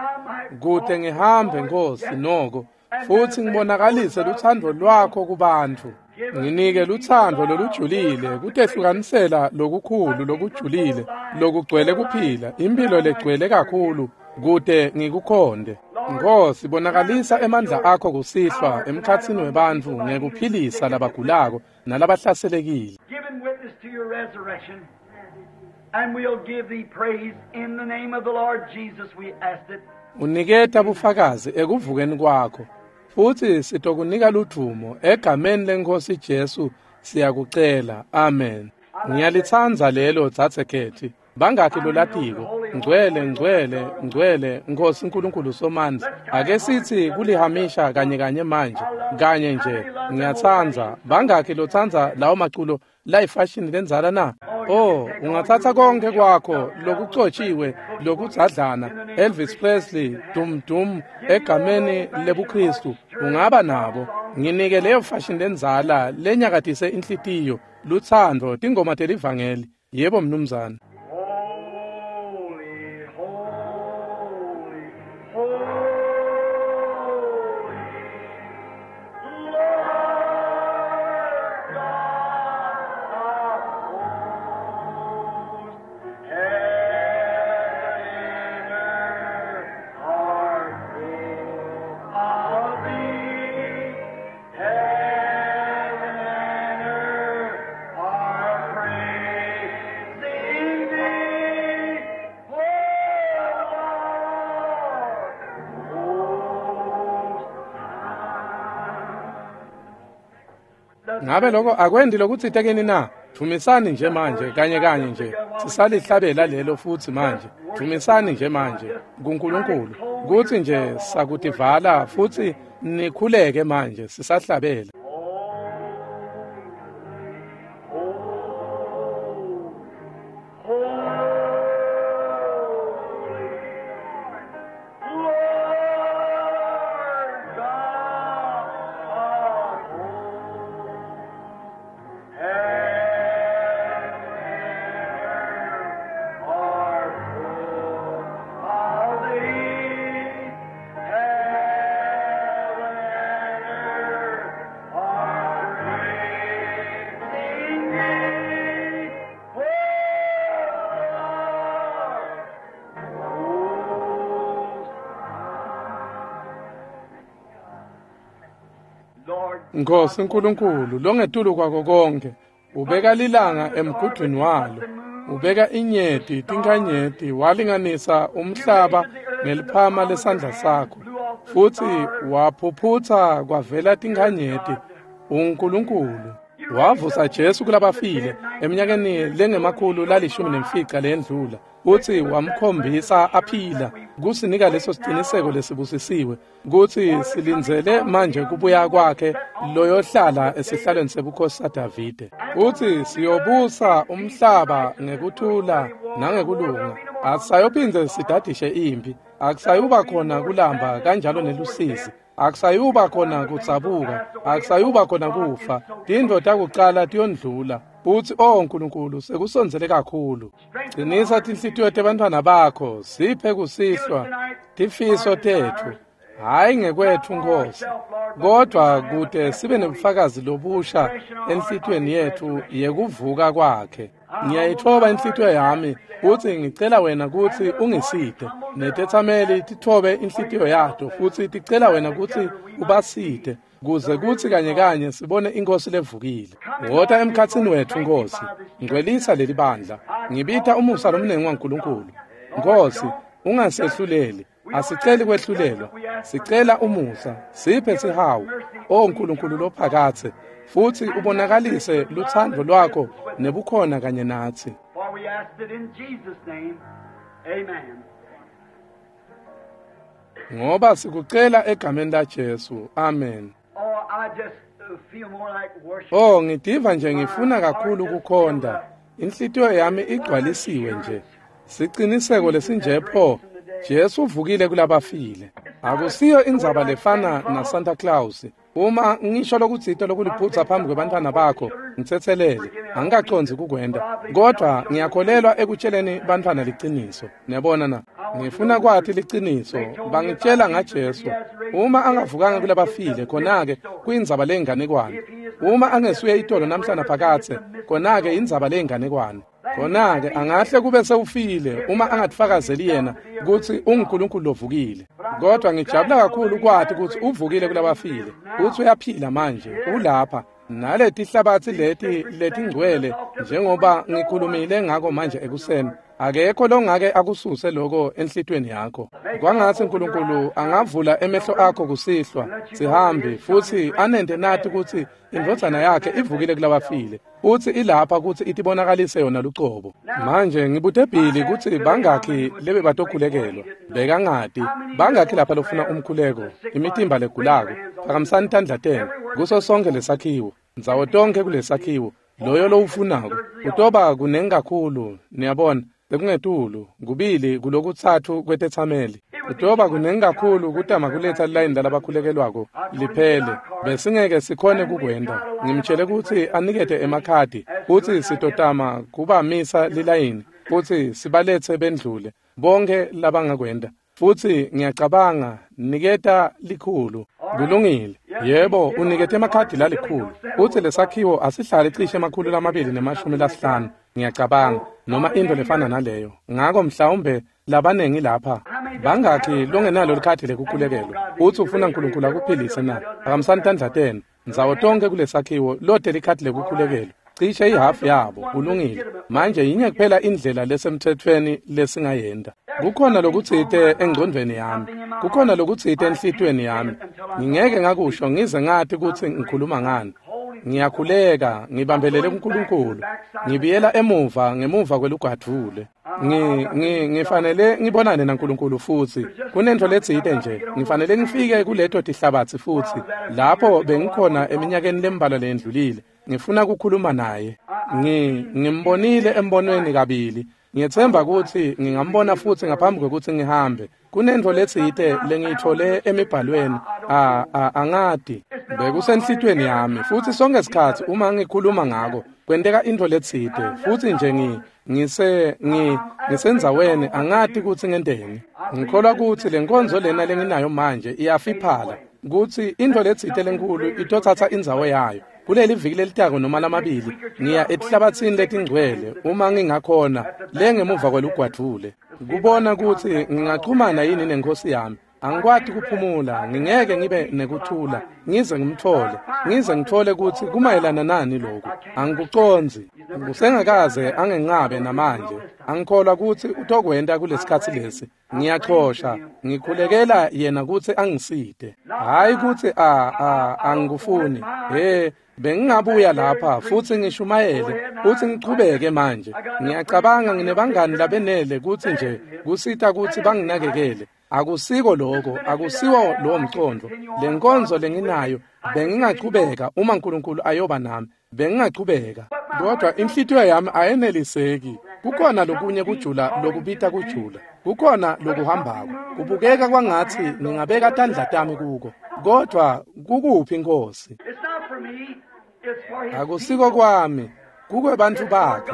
kute ngihambe Nkosi noko, futhi ngibonakalise lutsandvo lwakho kubantfu. Nginike lutsandvo lolujulile, kutehlukanisela lokukhulu lokujulile, lokugcwele kuphila, impilo legcwele kakhulu, kute ngikukhonde. Nkosi, bonakalisa emandla akho kusihlwa emkhatsini webantfu ngekuphilisa labagulako nalabahlaselekile. Giving witness to your resurrection, and we'll give thee praise in the name of the Lord Jesus, we ask it. Uniketa bufakazi ekuvukeni kwakho, futhi sitokunika ludvumo egameni leNkosi Jesu siyakucela. Amen. Ngiyalitsandza lelo dzadze. Bangakhi lolatiko? Ngcwele, ngcwele, ngcwele Nkosi Nkulunkulu Somandla. Ake sithi kulihamisha kanye kanye manje, kanye nje. Ngiyatsandza. Bangakhi lotsandza lawo maculo layifashini lendzala na? Oh, ungathatha konke kwakho lokucotshiwe, lokudzadlana, Elvis Presley, dum dum, egameni lebuKristu, ungaba nabo. Nginike leyo fashion lendzala lenyakatise inhlitiyo, lutsandvo, tingoma telivangeli. Yebo mnumzane. Holy, holy, holy, Lord God of hosts, heaven and earth are full of thee. Heaven and earth are praising thee, O Lord, most high. Ngabe lokho akwendi lokutsite kini na? Dvumisani nje manje, kanye kanye nje. Sisalihlabela lelo futhi manje. Dvumisani nje manje kuNkulunkulu. Kuthi nje sakutivala futhi nikhuleke manje sisahlabela. Nkosi Nkulunkulu longetulu kwako konke, ubeka lilanga emgudwini walo, ubeka inyeti tinkhanyeti, walinganisa umhlaba ngeliphama lesandla sakho, futhi waphuphutha kwavela tinkhanyeti. uNkulunkulu wavusa Jesu kulabafile eminyakeni lengemakhulu lalishumi nemfica lendlula, futhi wamkhombisa aphila kusinika leso siciniseko lesibusisiwe kutsi silindzele manje kubuya kwakhe loyohlala esihlalweni sebukhosi saDavide, futhi siyobusa umhlaba ngekuthula nangekulunga. Akusayophindze sidadishe impi, akusayuba khona kulamba kanjalo nelusizi, akusayuba khona kudzabuka, akusayuba khona kufa. Tintfo takucala tiyondlula. Futhi oh Nkulunkulu, sekusondzele kakhulu. Qinisa tinhlitiyo tebantfwana bakho, siphe kusihlwa tifiso tetfu, hhayi ngekwetfu Nkosi, kodwa kute sibe nebufakazi lobusha enhlitiyweni yetfu yekuvuka kwakhe. Ngiyayitfoba inhlitiyo yami futhi ngicela wena kutsi ungisite. Netetsameli titfobe inhlitiyo yato futhi ticela wena kutsi ubasite, kuze kutsi kanye kanye sibone iNkosi levukile. Wota emkhatsini wetfu Nkosi, ngcwelisa leli bandla. Ngibita umusa lomnengi waNkulunkulu. Nkosi, ungasehluleli. Asiceli kwehlulelwa, sicela umusa, siphe sihawu, O Nkulunkulu lophakathe, futhi ubonakalise lutsandvo lwakho nebukhona kanye natsi. For we ask it in Jesus' name. Amen. Ngoba sikucela egameni laJesu. Amen. Oh, ngidiva nje ngifuna kakhulu kukhonda. Inhlitiyo yami igcwalisiwe nje. Siciniseko lesinje pho, Jesu uvukile kulabafile. Akusiyo indzaba lefana na Santa Claus. Uma ngisho lokutsite lokuliphutsa phambi kwebantfwana bakho, ngitsetselele. Angikacondzi kukwenta, kodvwa ngiyakholelwa ekutsheleni bantfwana liciniso. Niyabona na? Ngifuna kwati liciniso. Bangitshela ngaJesu. Uma angavukanga kulabafile, khona-ke kuyindzaba leyinganekwane. Uma angesuye itolo namhlanje phakathe, khona-ke indzaba leyinganekwane. Khona-ke angahle kube sewufile uma angatifakazeli yena kutsi unguNkulunkulu lovukile. Kodwa ngijabula kakhulu kwati kutsi uvukile kulabafile, kutsi uyaphila manje, ulapha. Naletihlabatsi leti letingcwele, njengoba ngikhulumile ngako manje ekuseni, akekho longake akususe lokho enhlitweni yakho. Kwangatsi uNkulunkulu angavula emehlo akho kusihlwa, sihambi, futsi anente nati kutsi indvodzana yakhe ivukile kulabafile, futsi ilapha kutsi itibonakalise yona lucobo. Manje ngibute Billy kutsi bangakhi lebebatokhulekelwa. Bekangati bangakhi lapha lofuna umkhuleko, imitimba legulako. Phakamisani tandla tenu kuso sonke lesakhiwo, ndzawo tonke kulesakhiwo. Loyo lowufunako utoba kunengi kakhulu, niyabona, bekungetulu kubili kulokutsatfu kwetetsameli. Utoba kunengi kakhulu kutama kuletsa lilayini lalabakhulekelwako liphele. Besingeke sikhone kukwenta. Ngimtshele kutsi anikete emakhadi kutsi sitotama kubamisa lilayini futsi sibaletse bendlule bonke labangakwenta. Futsi ngiyacabanga niketa likhulu. Kulungile. Yebo, unikete emakhadi lalikhulu. Futsi lesakhiwo asihlale cishe 250, ngiyacabanga, noma into lefana naleyo. Ngako mhlawumbe labanengi lapha. Bangakhi longenalo likhadi lekukhulekelwa utsi ufuna uNkulunkulu akuphilise na? Phakamisani tandla tenu ndzawo tonke kulesakhiwo lote likhadi lekukhulekelwa. Cishe ihafu yabo. Kulungile. Manje yinye kuphela indlela lesemtsetfweni lesingayenta. Kukhona lokutsite engcondvweni yami, kukhona lokutsite enhlitiyweni yami. Ngingeke ngakusho ngize ngati kutsi ngikhuluma ngani. Ngiyakhuleka, ngibambelele kuNkulunkulu. Ngibuyela emuva ngemuva kwelugwadvule. Ngifanele ngibonane naNkulunkulu futsi. Kunentfo letsite nje. Ngifanele ngifike kuleto tihlabatsi futsi. Lapho bengikhona eminyakeni lembalwa leyendlulile. Ngifuna kukhuluma naye. Ngimbonile embonweni kabili. Ngiyetsemba kutsi ngingambona futsi ngaphambi kwekutsi ngihambe. Kunentfo letsite lengiyitfole emibhalweni. Angati. Bekusenhlitiyweni yami futsi sonke sikhatsi uma ngikhuluma ngako kwenteka intfo letsite futsi nje ngisendzaweni angati kutsi ngenteni. Ngikholwa kutsi lenkonzo lena lenginayo manje iyafiphala, kutsi intfo letsite lenkulu itotsatsa indzawo yayo. Kuleli viki lelitako noma lamabili ngiya etihlabatsini letingcwele uma ngingakhona lengemuva kwelugwadvule kubona kutsi ngingachumana yini nenkosi yami. Angikwati kuphumula, ngingeke ngibe nekuthula ngize ngimthole, ngize ngithole kutsi kumayelana nani lokhu. Angikucondzi. Kusengakaze angenqabe namanje. Angikholwa kutsi utokwenta kulesikhatsi lesi. Ngiyachosha, ngikhulekela yena kutsi angisite. Hayi kutsi angikufuni. Bengingabuya lapha futsi ngishumayele futsi ngichubeke manje. Ngiyacabanga nginebangani labenele kutsi nje kusita kutsi banginakekele. Akusiko lokho, akusiwo lowo mcondvo. Lenkonzo lenginayo bengingachubeka uma uNkulunkulu ayoba nami, bengingachubeka. Kodwa inhlitiyo yami ayeneliseki. Kukhona lokunye kujula lokubita kujula. Kukhona lokuhambako. Kubukeka kwangatsi ngingabeka tandla tami kuko. Kodwa kukuphi Nkosi? Akusiko kwami, kukwebantfu bakhe,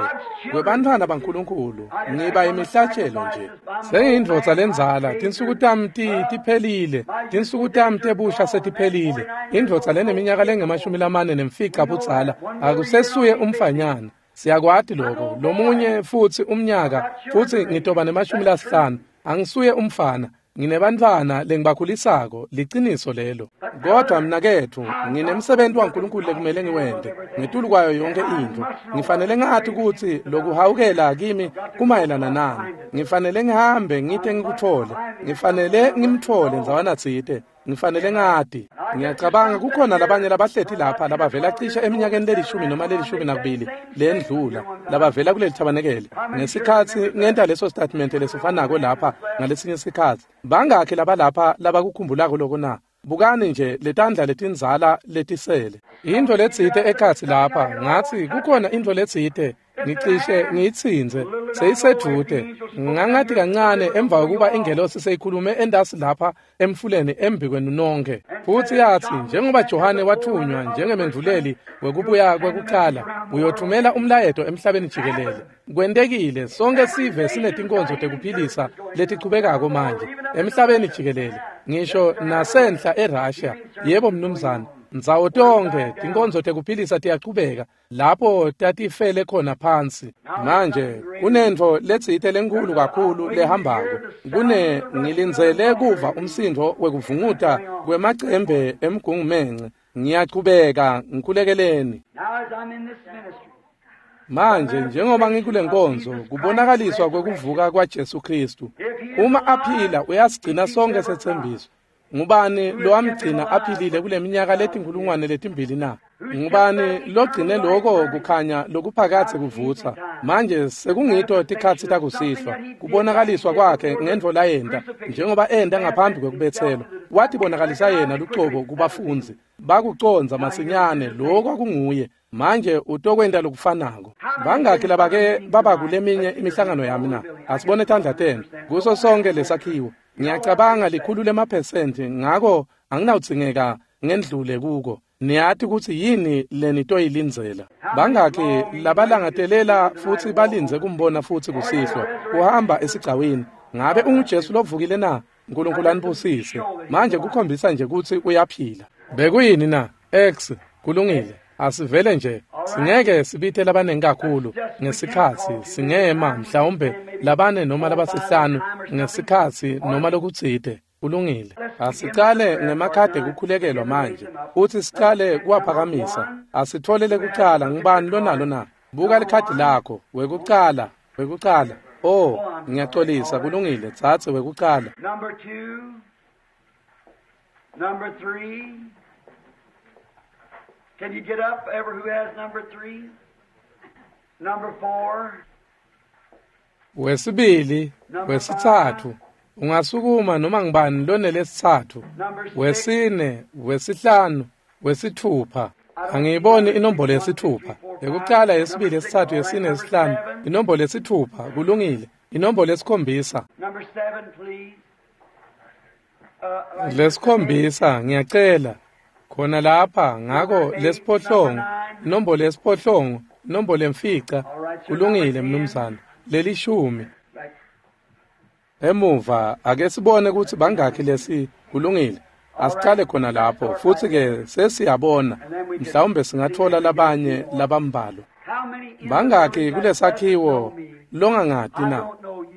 kwebantfwana baNkulunkulu. Ngiba imihlatshelo nje. Sengiyindvodza lendzala, tinsuku tami tiphelile, tinsuku tami tebusha setiphelile. Indvodza leneminyaka lengu-45 budzala akusesuye umfanyana. Siyakwati lokho. Lomunye futsi umnyaka futsi ngitoba ne-50. Angisuye umfana. Nginebantfwana lengibakhulisako, liciniso lelo. Kodwa mnaketfu, nginemsebenti waNkulunkulu lekumele ngiwente ngetulu kwayo yonke intfo. Ngifanele ngati kutsi lokuhawukela kimi kumayelana nani. Ngifanele ngihambe ngite ngikuthole. Ngifanele ngimthole ndzawana tsite. Ngifanele ngati. Ngiyacabanga kukhona labanye labahleti lapha labavela cishe eminyakeni lelishumi noma 12 lendlula labavela kuleli thabanekele. Ngesikhatsi ngenta leso statement lesifanako lapha ngalesinye isikhatsi. Bangakhi labalapha labakukhumbulako lokho na? Bukani nje letandla letindzala letisele. Intfo letsite ekhatsi lapha ngatsi kukhona intfo letsite ngicishe ngiyitsintse seyisedvute. Ngangathi kancane emva kokuba ingelosi seyikhulume endasi lapha emfuleni embi kwenu nonke. Futsi yatsi njengoba Johane wathunywa njengemendvuleli wekubuya kwekucala uyothumela umlayeto emhlabeni jikelele. Kwentekile sonke sive sinetinkonzo tekuphilisa letichubekako manje emhlabeni jikelele ngisho nasenhla eRussia. Yebo mnumzane, ndzawo tonke tinkonzo tekuphilisa tiyachubeka lapho tatifele khona phansi. Manje kunentfo letsite lenkhulu kakhulu lehambako. Kune ngilindzele kuva umsindvo wekuvunguta kwemacembe emgungumence. Ngiyachubeka ngikhulekeleni. Manje njengoba ngikule nkonzo kubonakaliswa kwekuvuka kwaJesu Kristu. Uma aphila uyasigcina sonke setsembiso. Ngubani lowamgcina aphilile kule minyaka letinkulungwane na? Ngubani logcine lokho kukhanya lokuphakathe kuvutsa? Manje sekungito tikhatsi takusihlwa. Kubonakaliswa kwakhe ngentfo layenta njengoba enta ngaphambi kwekubetselwa. Watibonakalisa yena lucobo kubafundzi. Bakucondza masinyane lokho kunguye. Manje utokwenta lokufanako. Bangakhi labake baba kuleminye imihlangano yami na? Asibone tandla tenu kuso sonke lesakhiwo. Ngiyacabanga 100% ngako anginawudzingeka ngendlule kuko. Niyati kutsi yini lenitoyilindzela. Bangakhi labalangatelela futsi balindze kumbona futsi kusihlwa uhamba esigcawini. Ngabe unguJesu lovukile na? uNkulunkulu anibusise. Manje kukhombisa nje kutsi uyaphila. Bekuyini na? X kulungile. Asivele nje singeke sibite labanengi kakhulu ngesikhatsi singema mhlawumbe labane noma labasihlanu ngesikhatsi noma lokutsite. Kulungile. Asicale ngemakhadi ekukhulekelwa manje futsi sicale kuwaphakamisa. Asitfolele kucala ngubani lonalo na? Buka likhadi lakho. Wekucala, wekucala. Oh, ngiyaxolisa. Kulungile, tsatse wekucala. Number 2, number 3. Can you get up, ever who has number 3? Number 4. Wesibili, wesithathu. Ungasukuma noma ngibani lonelesithathu. Wesine, wesihlanu, wesithupha. Angiyiboni inombolo yesithupha. Yekucala, yesibili, yesithathu, yesine, yesihlanu. Inombolo yesithupha. Kulungile. Inombolo yesikhombisa. Number 7, please. Lesikhombisa ngiyacela. Khona lapha ngako lesiphohlongo, inombolo yesiphohlongo, inombolo yemfica. Kulungile mnumzane. Lelishumi. Emuva ake sibone kutsi bangakhi lesi. Kulungile. Asicale khona lapho futsi ke sesiyabona mhlawumbe singathola labanye labambalwa. Bangakhi kulesakhiwo longangati na?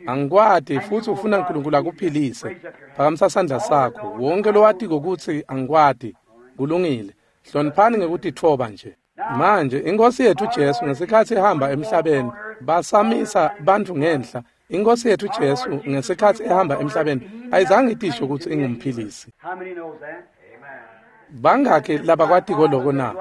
Angikwati futsi ufuna uNkulunkulu akuphilise. Phakamisa sandla sakho. Wonke lowatiko kutsi angikwati. Kulungile. Hloniphani ngekutitfoba nje. Manje inkosi yethu Jesu ngesikhatsi ihamba emhlabeni basamisa bantfu ngenhla. Inkosi yethu Jesu ngesikhatsi ehamba emhlabeni ayizange itisho kutsi ingumphilisi. Bangakhi labakwatiko loko na?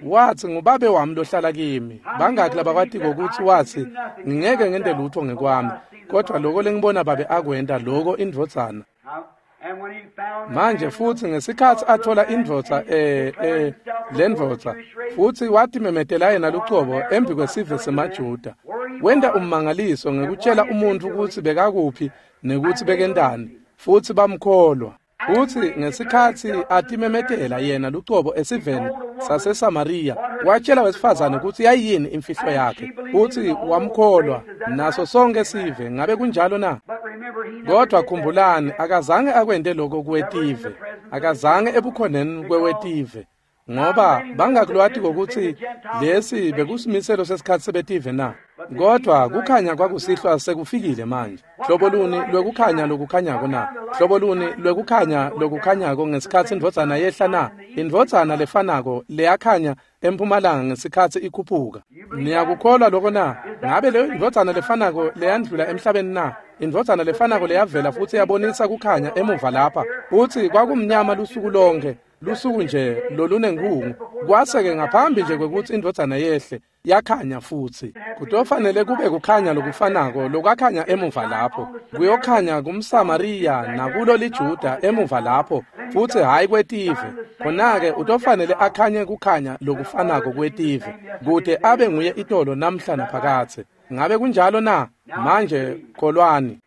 Watsi ngubabe wami lohlala kimi. Bangakhi labakwatiko kutsi watsi ngingeke ngente lutho ngekwami, kodwa loko lengibona babe akwenta loko indvodzana. Manje futsi ngesikhatsi athola indvodza lendvodza futsi watimemetela yena lucobo embi kwesive semaJuda. Wenta ummangaliso ngekutshela umuntfu kutsi bekakuphi nekutsi bekentani futsi bamkholwa. Futsi ngesikhatsi atimemetela yena lucobo esiveni saseSamariya watshela wesifazane kutsi yayini imfihlo yakhe futsi wamkholwa naso sonke sive. Ngabe kunjalo na? Kodwa khumbulani akazange akwente lokho kwetive, akazange ebukhoneni kwewetive, ngoba bangakulwati kokuthi lesi bekusimiselo sesikhatsi sebetive na. Kodwa kukhanya kwakusihlwa sekufikile manje. Hlobo luni lwekukhanya lokukhanyako na? Hlobo luni lwekukhanya lokukhanyako ngesikhatsi indvodzana yehla na? Indvodzana lefanako leyakhanya empumalanga ngesikhatsi ikhuphuka. Niyakukholwa lokho na? Ngabe leyo indvodzana lefanako leyandlula emhlabeni na? Indvodzana lefanako leyavela futsi yabonisa kukhanya emuva lapha, futsi kwakumnyama lusuku lonke, lusuku nje lolunenkhungu. Kwase-ke ngaphambi nje kwekutsi indvodzana yehle, yakhanya futsi. Kutofanele kube kukhanya lokufanako lokwakhanya emuva lapho. Kuyokhanya kumSamariya nakulo liJuda emuva lapho, futsi hhayi kwetive. Khona-ke utofanele akhanye kukhanya lokufanako kwetive, kute abe nguye itolo namhla naphakadze. Ngabe kunjalo na? Manje kholwani.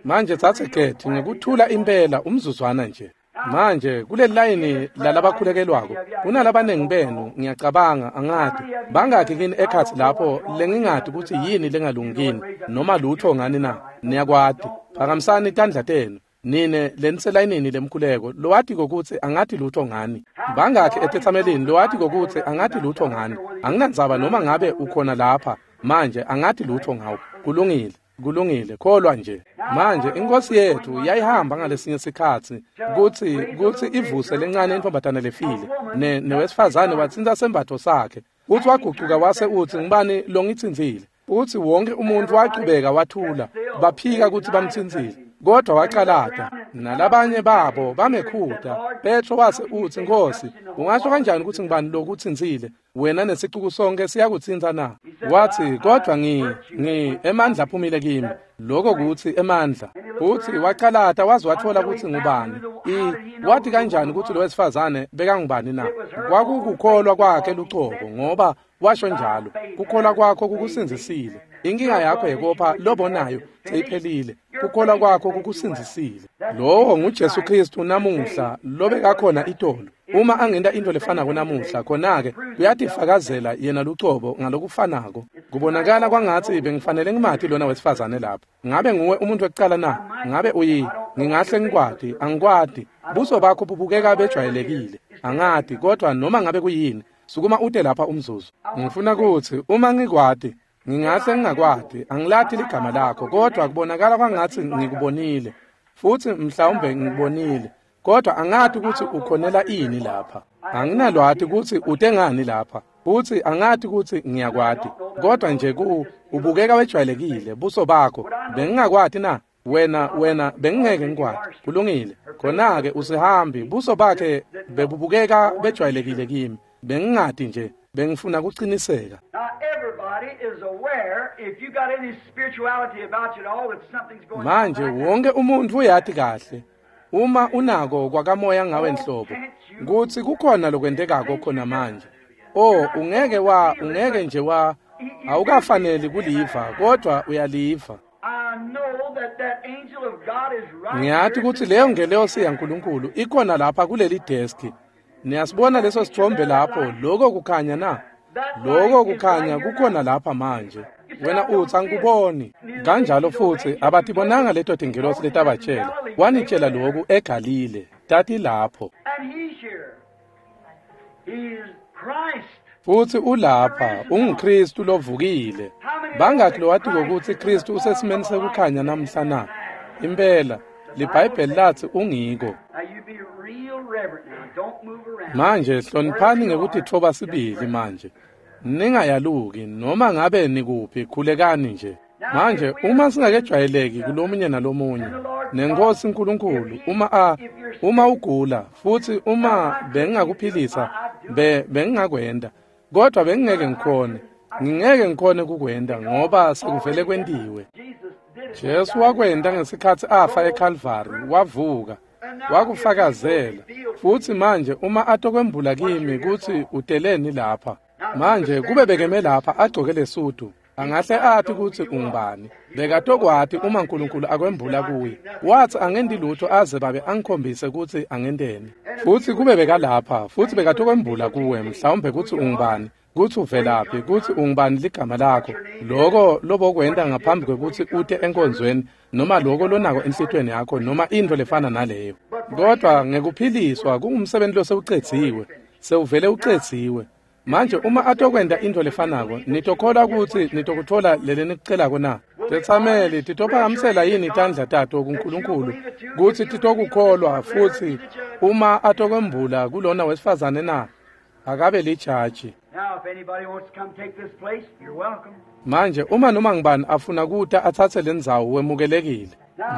Manje tsatse Geti ngekuthula impela umzuzwana nje. Manje kuleli layini lalabakhulekelwako kunalabanengi benu, ngiyacabanga, angati bangakhi kini ekhatsi lapho lengingati kutsi yini lengalungi noma lutho ngani na. Niyakwati, phakamisani tandla tenu nine leniselayinini lemkhuleko lowatiko kutsi angati lutho ngani. Bangakhi etetsamelini lowatiko kutsi angati lutho ngani? Anginandzaba noma ngabe ukhona lapha manje, angati lutho ngawo. Kulungile. Kulungile, kholwa nje. Manje inkosi yethu yayihamba ngalesinye sikhatsi kutsi ivuse lencane intombatana lefile, newesifazane watsintsa sembatfo sakhe, futsi wagucuka wase utsi, ngibani longitsintsile? Futsi wonke umuntu wachubeka wathula, baphika kutsi bamtsintsile, kodwa wacalata. Nalabanye babo bamekhuta. Petro wase utsi, Nkosi, ungasho kanjani kutsi ngibani lokutsintsile? Wena nesicuku sonke siyakutsintsa na? Wathi, kodwa ngi emandla aphumile kimi. Lokho kutsi emandla. Futsi wacalata waze watfola kutsi ngubani. Wathi kanjani kutsi lo wesifazane bekangubani na? Kwakukukholwa kwakhe lucobo, ngoba washo njalo. Kukholwa kwakho kukusindzisile. Inkinga yakho yekopha lobonayo seyiphelile. Kukholwa kwakho kukusindzisile. Lowo nguJesu Kristu namuhla lobekakhona itolo. Uma angenta into lefanako namuhla, khona-ke uyatifakazela yena lucobo ngalokufanako. Kubonakala kwangatsi bengifanele ngimati lona wesifazane lapho. Ngabe nguwe umuntu wekucala na? Ngabe uyi? Ngingahle ngikwati, angikwati. Buso bakho bubukeka bejwayelekile. Angati, kodwa noma ngabe kuyini, sukuma ute lapha umzuzu. Ngifuna kutsi uma ngikwati, ngingahle ngingakwati, angilati ligama lakho, kodwa kubonakala kwangatsi ngikubonile. Futsi mhlawumbe ngikubonile, kodwa angati kutsi ukhonela ini lapha. Anginalwati kutsi ute ngani lapha, futsi angati kutsi ngiyakwati, kodwa nje ubukeka wejwayelekile buso bakho. Bengingakwati na? Wena bengingeke ngikwati. Kulungile. Khona-ke usihambi, buso bakhe bebubukeka bejwayelekile kimi. Bengingati nje, bengifuna kuciniseka. Manje wonke umuntu uyati kahle, uma unako kwakamoya ngawe nhlobo, kutsi kukhona lokwentekako khona manje. Oh, ungeke nje awukafaneli kuliva, kodwa uyaliva. Ngiyati kutsi leyo ngelosi yaNkulunkulu ikhona lapha kuleli deski. Niyasibona leso sithombe lapho, lokho kukhanya na? Lokho kukhanya kukhona lapha manje. Wena utsi angikuboni. Kanjalo futsi abatibonanga leto tingelosi letabatshela. Wanitshela lokhu eGalile, tati lapho. Futsi ulapha, unguKristu lovukile. Bangakhi lowatiko kutsi Kristu usesimeni sekukhanya namhla na? Impela, liBhayibheli latsi ungiko. Manje hloniphani ngekutitfoba sibili manje. Ningayaluki noma ngabe nikuphi, khulekani nje. Manje uma singakejwayeleki kulomunye nalomunye, nenkosi uNkulunkulu, uma ugula futsi uma bengingakuphilisa, bengingakwenda, kodwa bengingeke ngikhone. Ngingeke ngikhone kukwenda ngoba sekuvele kwentiwe. Jesu wakwenda ngesikhatsi afa eCalvary, wavuka, wakufakazela. Futsi manje uma atokwembula kimi kutsi uteleni lapha. Manje kube bekeme lapha agcoke lesudu, angahle athi kutsi ungubani. Bekatokwati uma uNkulunkulu akwembula kuye. Wathi angendi lutho aze babe angikhombise kutsi angenteni. Futsi kube bekalapha, futsi bekatokwembula kuwe mhlawumbe kutsi ungubani, kutsi uvelaphi, kutsi ungubani ligama lakho, loko lobokwenta ngaphambi kwekutsi ute enkonzweni, noma loko lonako enhlitiyweni yakho, noma intfo lefana naleyo. Kodwa ngekuphiliswa kungumsebenzi losewucedziwe, sewuvele ucedziwe. Manje uma atokwenta intfo lefanako, nitokholwa kutsi nitokutfola lele nikucelako na? Tetsameli titophakamisela yini tandla tato kuNkulunkulu kutsi titokukholwa futsi uma atokwembula kulona wesifazane na? Akabe lijaji. Now, if anybody wants to come take this place, you're welcome. Manje uma noma ngibani afuna kuta atsatse lendzawo wemukelekile.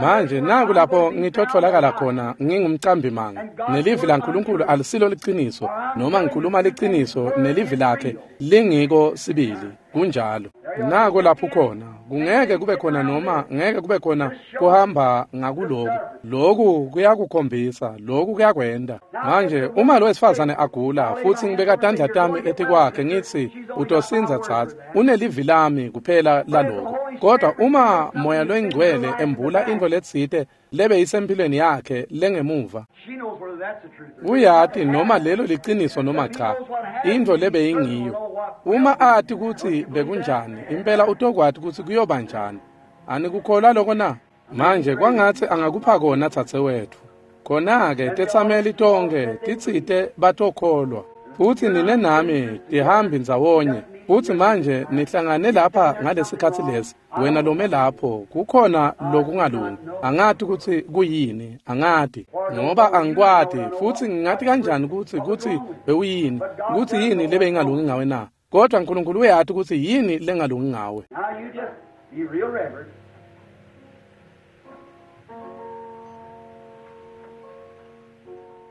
Manje naku lapho ngitotfolakala khona ngingumcambi manga. Nelivi laNkulunkulu alisilo liciniso noma ngikhuluma liciniso nelivi lakhe lingiko sibili kunjalo. Nako lapho khona kungeke kube khona noma ngeke kube khona kuhamba ngakuloku. Loku kuyakukhombisa, loku kuyakwenda. Manje uma lo wesifazane agula futhi ngibeka tandla tami etikwakhe ngithi utosinza tsatsa unelivi lami kuphela laloko. Kodwa uma moya loyingcwele embula intfo letsite lebe isempilweni yakhe lengemuva She knows whether that's the truth or not. uyati noma lelo liciniso noma cha intfo lebe ingiyo. Uma ati kutsi bekunjani impela utokwati kutsi kuyoba njani. Anikukholwa loko na? Manje kwangatsi angakupha kona dzadzewetfu. Khona-ke tetsameli tonkhe titsite batokholwa futsi nine nami tihambi ndzawonye futsi manje nihlangane lapha ngalesikhatsi lesi. Wena lome lapho kukhona lokungalungi, angati kutsi kuyini, angati ngoba angikwati futsi ngingati kanjani kutsi bewuyini, kutsi yini lebe ingalungi ngawe na? Kodwa Nkulunkulu uyati kutsi yini lengalungi ngawe. Now you just be real reverent.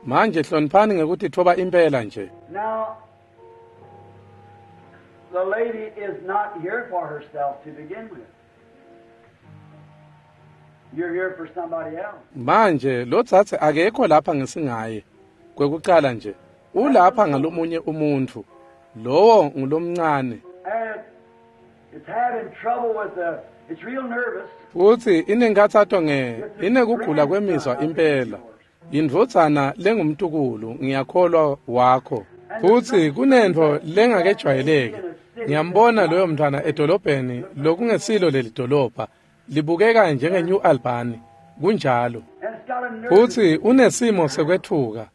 Manje hloniphani ngekutitfoba impela nje. Now, the lady is not here for herself to begin with. You're here for somebody else. Manje lo dzadze akekho lapha ngesingaye. Kwekucala nje ulapha ngalomunye umuntfu. Lowo ngulomncane. And it's having trouble with the, it's real nervous. Futsi inenkhatsato inekugula kwemizwa impela. Indvodzana lengumtukulu ngiyakholwa wakho. Futsi kunentfo lengakejwayeleki. Ngiyambona loyo mntwana edolobheni lokungesilo leli dolobha. Libukeka njenge New Albany. Kunjalo. And it's got a nervous. Futsi unesimo sekwetfuka.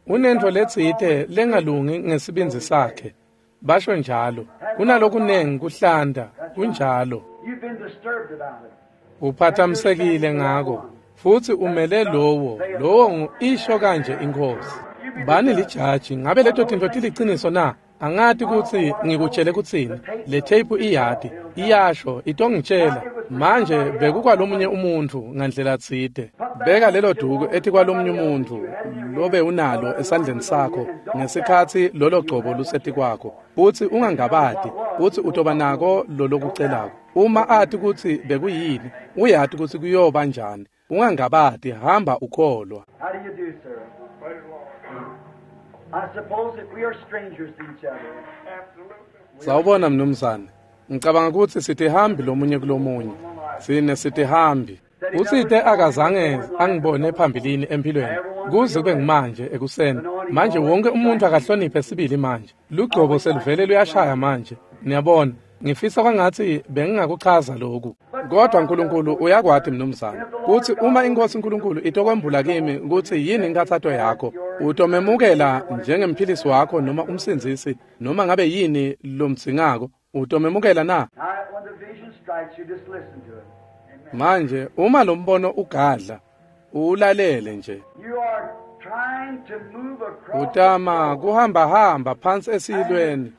Unentfo letsite lengalungi ngesibindzi sakhe. Basho njalo. Kunalokunengi kuhlanda. Kunjalo. You've been disturbed about it. Uphathamisekile ngako. Futsi umele lowo isho kanje inkosi. Bani lijaji, ngabe leto tintfo tiliciniso na? Angati kutsi ngikutshele kutsini. Le tape iyati, iyasho, itongitshela. Manje bekukwalomunye umuntfu ngandlela tsite. Beka lelo duku etikwalomunye umuntfu lobe unalo esandleni sakho ngesikhatsi lolo gcobo lusetikwakho. Futsi ungangabati kutsi utoba nako lolokucelako. Uma ati kutsi bekuyini, uyati kutsi kuyoba njani. Ungangabati, hamba ukholwa. How do you do, sir? I suppose that we are strangers to each other. Sawubona mnumzane. Ngicabanga kutsi sitihambi lomunye kulomunye. Sine sitihambi. Utsite akazange angibone phambilini empilweni kuze kube ngimanje ekuseni. Manje wonke umuntu akahloniphe sibili manje. Lugcobo seluvele luyashaya manje. Niyabona, ngifisa kwangatsi bengingakuchaza lokhu. Kodwa uNkulunkulu uyakwati mnumzane kutsi uma inkosi uNkulunkulu itokwembula kimi kutsi yini inkhatsato yakho, utomemukela njengemphilisi wakho noma umsindzisi noma ngabe yini lomdzingako, utomemukela na? Now, when the vision strikes you, just listen to it. Manje uma lo mbono ugadla, ulalele nje. You are trying to move across. Utama kuhamba hamba phansi esiyilweni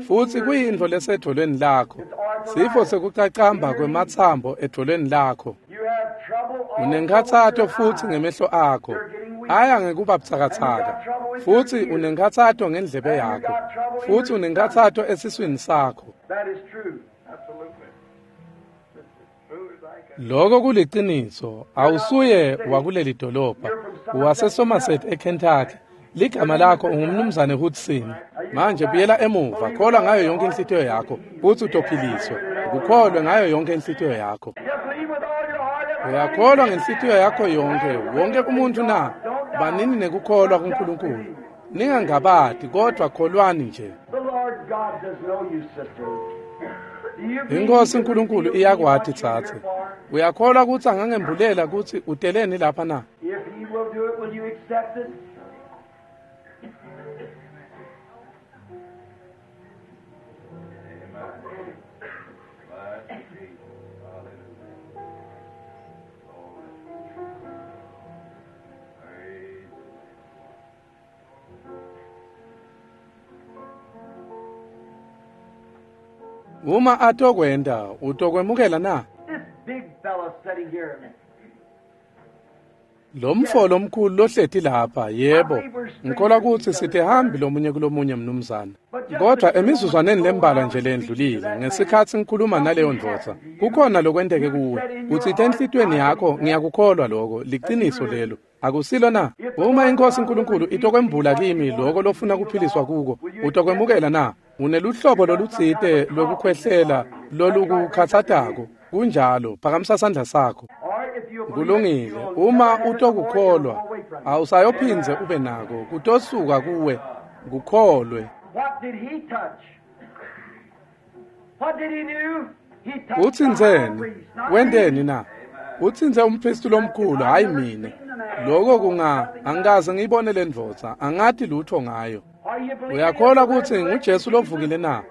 futsi kuyintfo lesedvolweni lakho. Sifo sekucacamba kwematsambo edvolweni lakho. You have trouble all Unenkhatsato futsi ngemehlo akho. Aya ngekuba butsakatsaka. Futsi unenkhatsato ngendlebe yakho. Futsi unenkhatsato esiswini sakho. That is true. Absolutely. It's as true as I can. Loko kuliciniso, awusuye wakuleli dolobha. WaseSomerset eKentucky. Ligama lakho ungumnumzane Hudson. Manje buyela emuva, kholwa ngayo yonke inhlitiyo yakho, futsi utophiliswa. Ukukholwe ngayo yonke inhlitiyo yakho. You believe with all your heart. everybody. Uyakholwa ngenhlitiyo yakho yonke, wonke umuntu na? Banini nekukholwa kuNkulunkulu. Ningangabati kodwa kholwani nje. The Lord God does know you, sister. Do you believe Inkosi he can uNkulunkulu reveal to you iyakwati what you're here tsatse. for? Uyakholwa kutsi angangembulela kutsi uteleni lapha na? If he will do it, will you accept it? Bless Jesus. Hallelujah. Glory. Praise. Uma atokwenta, utokwemukela na? This big fellow sitting here. Lo mfo lomkhulu lohleti lapha, yebo. Ngikholwa kutsi sitihambi lomunye kulomunye mnumzane. Kodwa emizuzwaneni lembalwa nje lendlulile, ngesikhatsi ngikhuluma naleyo ndvodza, kukhona lokwenteke kuwe. Utsite enhlitiyweni yakho, ngiyakukholwa loko, liciniso lelo. Akusilo na? Uma iNkosi uNkulunkulu itokwembula kimi loko lofuna kuphiliswa kuko, utokwemukela na? Uneluhlobo lolutsite lwekukhwehlela lolukukhatsatako. Kunjalo, phakamisa sandla sakho. Or if you believe it, Kulungile. you'll Uma never have it no more, it'll utokukholwa, go away from you. awusayophindze ube nako, kutosuka kuwe, kukholwe. What did he touch? What did he do? He touched the high Utsintseni? priest, not Wenteni me. na? Utsintse umpristi lomkhulu, hayi mine. Loko kunga angikaze ngiyibone le ndvodza, angati lutho ngayo. Are you believing Uyakholwa in the kutsi resurrection nguJesu Jesus? lovukile na?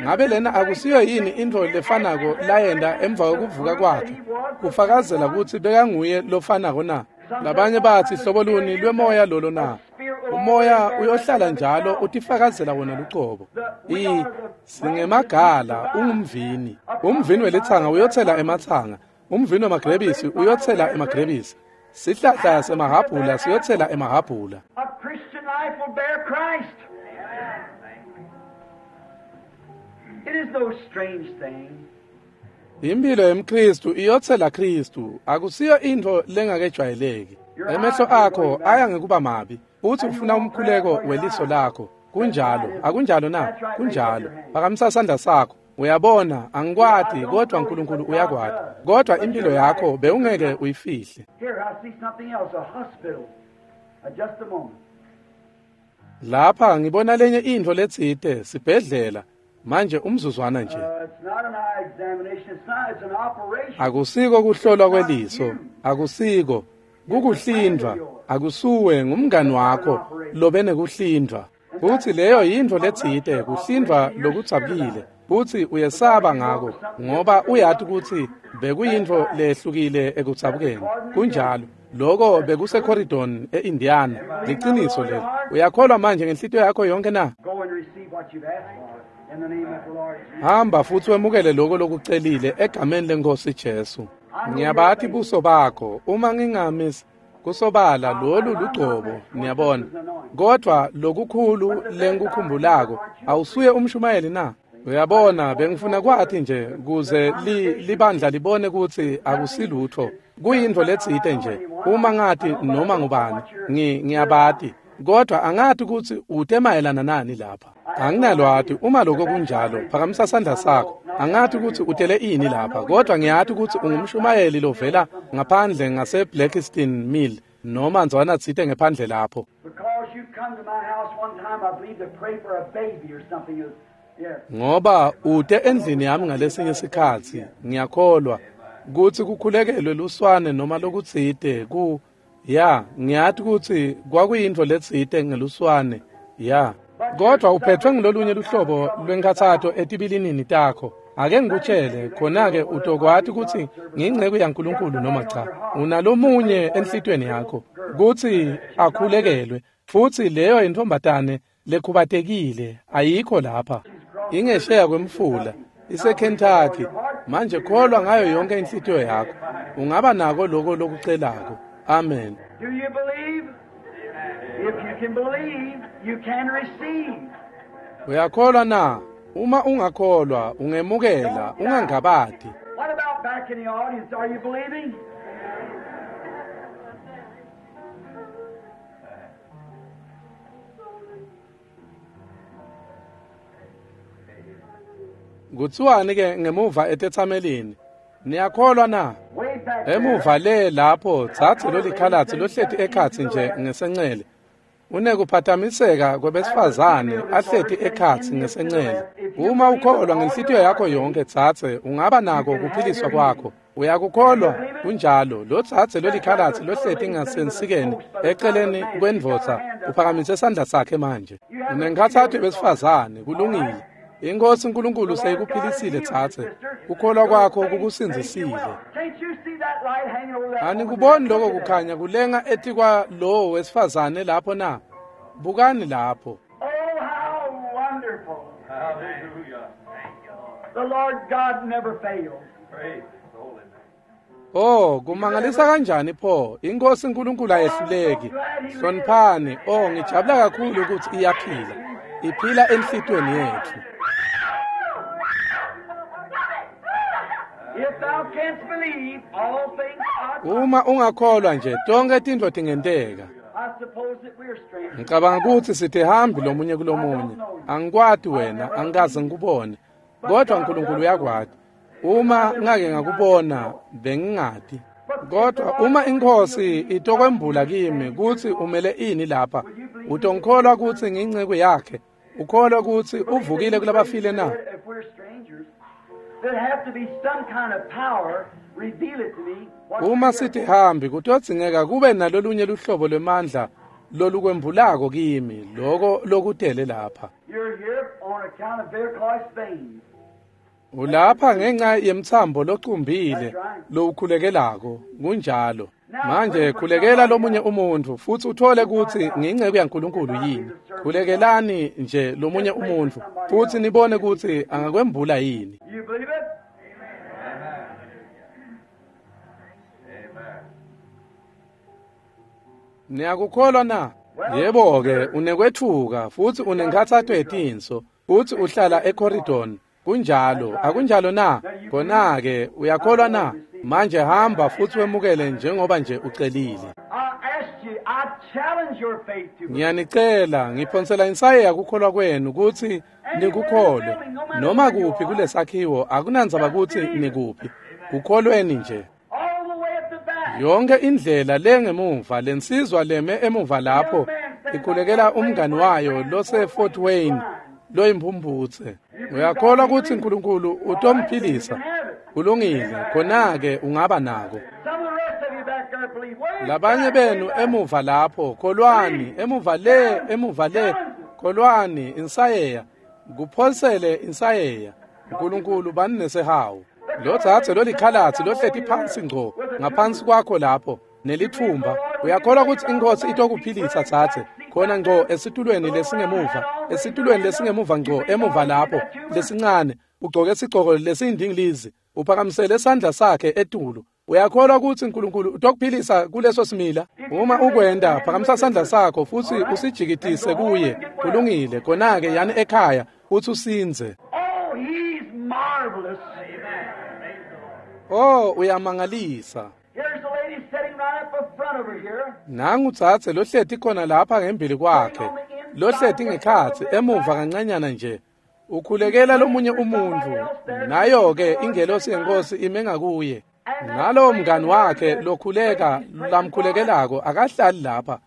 Ngabe lena akusiyo yini intfo lefanako layenta emva kwekuvuka kwakhe? Kufakazela kutsi bekanguye lofanako na? Labanye batsi hlobo luni lwemoya lolo na? Umoya uyohlala njalo utifakazela wona lucobo. I singemagala ungumvini. Umvini welitsanga uyotsela ematsanga. Umvini wemagrebisi uyotsela emagrebisi. Sihlahla semahhabhula siyotsela emahhabhula. A Christian life will bear Christ. It is no strange thing. Impilo yemKristu iyotsela Kristu, akusiyo intfo lengakejwayeleki. Emehlo akho aya ngekuba mabi, futsi ufuna umkhuleko weliso lakho. Kunjalo, akunjalo na? Kunjalo. Phakamisa sandla sakho. Uyabona, angikwati, kodwa uNkulunkulu uyakwati. Kodwa impilo yakho bewungeke uyifihle. Here, I see something else, a hospital. Just a moment. Lapha ngibona lenye intfo letsite, sibhedlela. Manje umzuzwana nje. It's not an eye examination. It's not. It's an operation. Akusiko kuhlolwa kweliso, akusiko kukuhlindvwa, akusuwe ngumngani wakho lobe nekuhlindvwa. Futsi leyo yintfo letsite kuhlindvwa lokudzabukile, futsi uyesaba ngako ngoba uyati kutsi bekuyintfo lehlukile ekudzabukeni. Kunjalo. Loko bekuseCorydon eIndiana. Liciniso lelo. Uyakholwa manje ngenhlitiyo yakho yonke na? Go and receive what you've asked for in the name of the Lord Jesus. Hamba futsi wemukele loko lokucelile egameni lenkosi Jesu. Ngiyabati buso bakho uma ngingamis kusobala lolu lugcobo niyabona. Kodwa lokukhulu lengikukhumbulako awusuye umshumayeli na? Uyabona bengifuna kwati nje kuze libandla libone kutsi akusilutho. Kuyintfo letsite nje uma ngati noma ngubani ngiyabati kodwa angati kutsi ute mayelana nani lapha. Anginalwati uma lokho kunjalo phakamisa sandla sakho. Angati kutsi utele ini lapha kodwa ngiyati kutsi ungumshumayeli lovela ngaphandle ngase Blackstone Mill noma ndzwana tsite ngephandle lapho. Because you come to my house one time, I believe, to pray for a baby or something. Yeah. Ngoba ute endlini yami ngalesinye isikhatsi ngiyakholwa kutsi kukhulekelwe luswane noma lokutsite ku ya ngiyati kutsi kwakuyintfo letsite ngeluswane ya. Kodwa uphethwe ngilolunye luhlobo lwenkhatsato etibilinini takho. Ake ngikutshele khona-ke utokwati kutsi ngiyinceku yaNkulunkulu noma cha. Unalomunye enhlitiyweni yakho kutsi akhulekelwe futsi leyo intfombatane lekhubatekile ayikho lapha. Ingesheya kwemfula iseKentucky. Manje kholwa ngayo yonke inhlitiyo yakho. Ungaba nako loko lokucelako. Amen. Do you believe? If you can believe, you can receive. Uyakholwa na? Uma ungakholwa, ungemukela, ungangabati. What about back in the audience? Are you believing? Kutsiwani ke ngemuva etetsamelini? Niyakholwa na? Way back there. Emuva le lapho dzadze lolikhalatsi lohleti ekhatsi nje ngesencele. Unekuphatamiseka kwebesifazane ahleti ekhatsi ngesencele. Uma ukholwa ngenhlitiyo yakho yonke dzadze, ungaba nako kuphiliswa kwakho. Uyakukholwa? Kunjalo. Lo dzadze lolikhalatsi lohleti ngasensikeni eceleni kwendvodza uphakamise sandla sakhe manje. Unenkhatsato yebesifazane, kulungile. Inkosi uNkulunkulu seyikuphilisile dzadze. Kukholwa kwakho kukusindzisile. Can't you see that light hanging over that Anikuboni lokho kukhanya kulenga etikwa lowo wesifazane lapho na? Bukani lapho. Oh, how wonderful. Hallelujah. The Lord God never fails. Praise his holy name. Oh, kumangalisa kanjani pho? Inkosi uNkulunkulu ayehluleki. Hloniphani. Oh, ngijabula kakhulu ukuthi iyaphila. Iphila enhlitweni yethu. If thou canst believe, all things are Uma ungakholwa nje, tonke tintfo tingenteka. I suppose that we're strangers. Ngicabanga ukuthi sithihambi lomunye kulomunye. Angikwati wena, angikaze ngikubone. Kodwa uNkulunkulu uyakwati. Uma ngake ngakubona, bengingati. Kodwa uma inkosi itokwembula kimi kutsi umele ini lapha, utongikholwa kutsi ngiyinceku yakhe. Ukholwa kutsi uvukile kulabafile na? If we're strangers, there'd have to be some kind of power reveal it to me. What Uma you're here sithi hambi kutodzingeka kube nalolunye luhlobo lwemandla lolukwembulako kimi loko lokutele lapha. for. You're here on account of varicose veins. Ulapha ngenxa yemtsambo locumbile lowukhulekelako kunjalo. Manje khulekela lomunye umuntu futhi uthole kutsi ngiyinceku yaNkulunkulu yini. Khulekelani nje lomunye umuntu futhi nibone kutsi angakwembula yini. You believe it? Amen. Amen. Niyakukholwa na? Yebo ke unekwethuka futhi unenkhathato yetinso futhi uhlala ecorridor. Kunjalo, akunjalo na? Khona ke uyakholwa na? Manje hamba futhi wemukele njengoba nje ucelile. I asked you, I challenge your faith to believe. Ngiyanicela, ngiphonsela insayeya kukholwa kwenu kutsi nikukholwe. Noma kuphi kulesakhiwo akunandzaba kutsi nikuphi. Kukholweni nje. All the way at the back. Yonke indlela lengemuva lensizwa leme emuva lapho ikhulekela umngani wayo lose Fort Wayne loyimphumputse. Uyakholwa kutsi uNkulunkulu utomphilisa. Kulungile, khona ke ungaba nako. Some of the rest of you back there believe. Way Labanye back, way benu back. emuva lapho kholwani emuva le emuva le kholwani insayeya kuphonsele insayeya uNkulunkulu bani nesihawu lo dzadze lolikhalatsi lohleti phansi ngco ngaphansi kwakho lapho nelithumba uyakholwa kutsi inkosi itokuphilisa dzadze khona ngco esitulweni lesingemuva esitulweni lesingemuva ngco emuva lapho lesincane ugcoke sigcoko lesiyindingilizi uphakamisele sandla sakhe etulu uyakholwa kutsi uNkulunkulu utokuphilisa kuleso simila uma ukwenda phakamisa sandla sakho futsi usijikitise kuye kulungile khona-ke yani ekhaya futsi usindze Oh, he's marvelous. oh uyamangalisa Here's the lady sitting right up in front over here. nangu dzadze lohleti khona lapha ngembili kwakhe lohleti ngekhatsi emuva kancanyana nje ukhulekela lomunye umuntfu nayo-ke ingelosi yenkosi ime ngakuye nalowo mngani wakhe lokhuleka lamkhulekelako akahlali lapha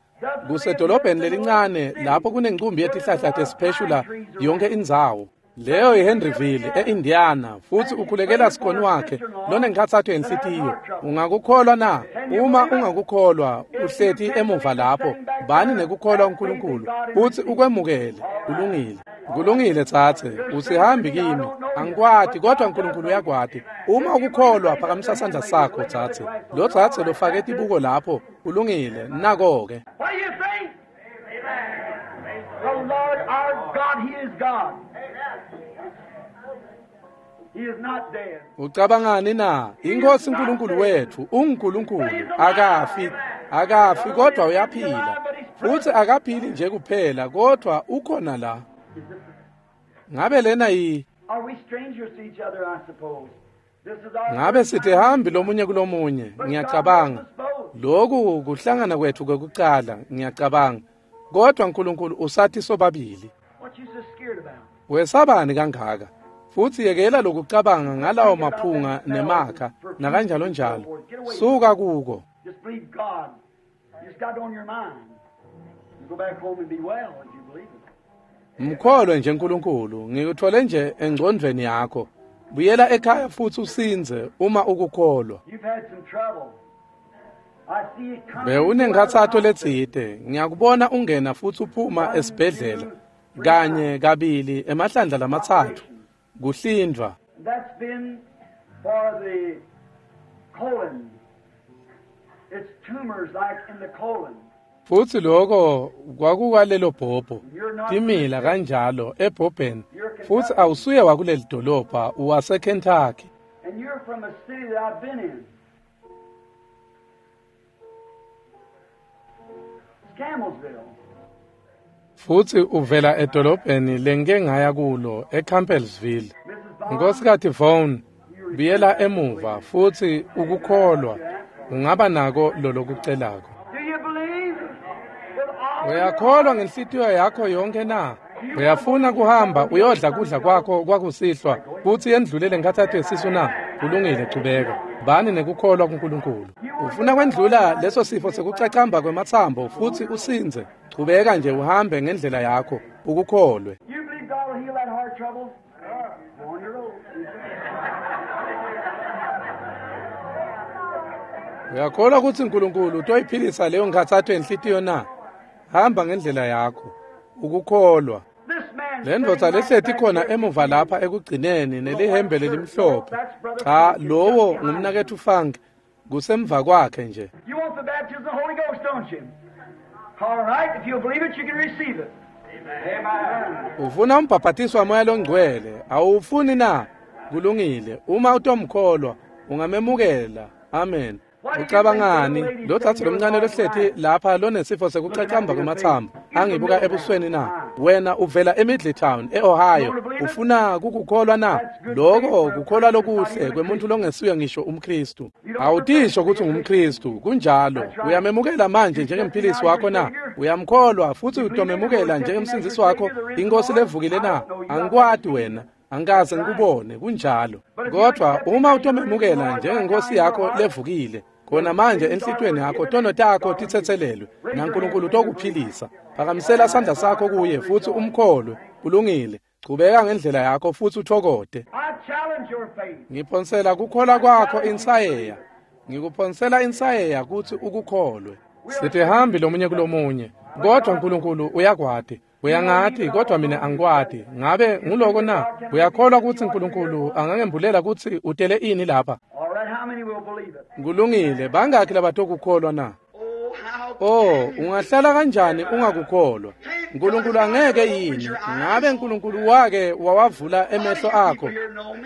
kusedolobheni lelincane lapho kunencumbi yetihlahla tesipheshula yonke indzawo leyo yiHenryville e-Indiana futsi ukhulekela sikhoni wakhe lonenkhatsato yenhlitiyo ungakukholwa na uma ungakukholwa uhleti emuva lapho bani nekukholwa uNkulunkulu futsi ukwemukele kulungile kulungile tsatse usihambi kimi angikwati kodwa uNkulunkulu uyakwati uma ukukholwa phakamisa sandla sakho tsatse lo tsatse lofake tibuko lapho kulungile nako-ke What do you think? The Lord our God, He is God. He is not dead. Ucabangani na? Inkosi uNkulunkulu wethu unguNkulunkulu akafi akafi kodwa uyaphila futhi akaphili nje kuphela kodwa ukhona la. Ngabe lena yi Are we strangers to each other, I suppose? This is our ngabe first sithi time. hambi lomunye kulomunye But ngiyacabanga God knows us both. lokhu kuhlangana kwethu kwekucala ngiyacabanga kodwa uNkulunkulu usathi sobabili What you so scared about? wesabani kangaka futhi yekela lokucabanga ngalawo maphunga nemakha nakanjalo njalo suka kuko Just believe God. You just got it on your mind. You go back home and be well if you believe it. Mkholwe nje uNkulunkulu ngikuthole nje engcondweni yakho buyela ekhaya futhi usinze uma ukukholwa You've had some trouble. I see it coming. bewunenkhathato letsite ngiyakubona ungena futhi uphuma esibhedlela kanye kabili emahlandla lamatsatfu kuhlindvwa That's been for the colon. It's tumors like in the colon. Futsi loko kwakukwalelo bhobho, timila kanjalo ebhobheni, futsi awusuye wakuleli dolobha, uwaseKentucky. And you're from a city that I've been in. It's Campbellsville. Futsi uvela edolobheni lengike ngaya kulo, eCampbellsville. Mrs. Bond, Nkosikazi Vaughn, buyela emuva futsi ukukholwa, ungaba nako lolokucelako. do you believe? With all your Uyakholwa ngenhlitiyo yakho yonke na? Uyafuna kuhamba uyodla kudla kwakho kwakusihlwa kutsi yendlulele nkhatsato yesisu na? Kulungile, chubeka. Bani nekukholwa kuNkulunkulu. Ufuna kwendlula leso sifo sekucacamba kwematsambo futsi usindze. Chubeka nje uhambe ngendlela yakho, ukukholwe. You believe God will heal that heart trouble? Go on your road. Uyakholwa kutsi uNkulunkulu utoyiphilisa leyo nkhatsato yenhlitiyo na? Hamba ngendlela yakho, ukukholwa. This man Le ndvodza lehleti khona emuva lapha ekugcineni nelihembe lelimhlophe. Cha, lowo ngumnaketfu Funk, kusemva kwakhe nje. You want the baptism of the Holy Ghost, don't you? All right, if you'll believe it, you can receive it. Amen. Ufuna umbhabhatiso wamoya longcwele, awufuni na? Kulungile, uma utomkholwa, ungamemukela. Amen. Ucabangani? Lo dzadze lomncane lohleti lapha lonesifo sekucacamba kwematsambo, angibuka ebusweni na? Wena uvela eMiddletown, eOhio. Ufuna kukukholwa na? Loko kukholwa lokuhle kwemuntu longesuye ngisho umKristu. Awutisho kutsi ungumKristu, kunjalo. Uyamemukela manje njengemphilisi wakho na? Uyamkholwa futsi utomemukela njengemsindzisi wakho, iNkhosi levukile na? Angikwati wena. Angikaze ngikubone, kunjalo. Kodwa uma utomemukela njengenkosi yakho levukile, khona manje enhlitiyweni yakho tono takho titsetselelwe, naNkulunkulu utokuphilisa. Phakamisela sandla sakho kuye futsi umkholwe. Kulungile. Chubeka ngendlela yakho futsi uthokote. I challenge your faith. Ngiphonsela kukholwa kwakho insayeya. Ngikuphonsela insayeya kutsi ukukholwe. Sitihambi lomunye kulomunye, kodwa uNkulunkulu uyakwati. Uyangati kodwa mina angikwati. Ngabe nguloko na? Uyakholwa kutsi uNkulunkulu angangembulela kutsi utele ini lapha? All right, how many will believe it? Kulungile, bangakhi labatokukholwa na? Oh, how Oh, ungahlala kanjani ungakukholwa? uNkulunkulu angeke yini? Ngabe uNkulunkulu wake wawavula emehlo akho?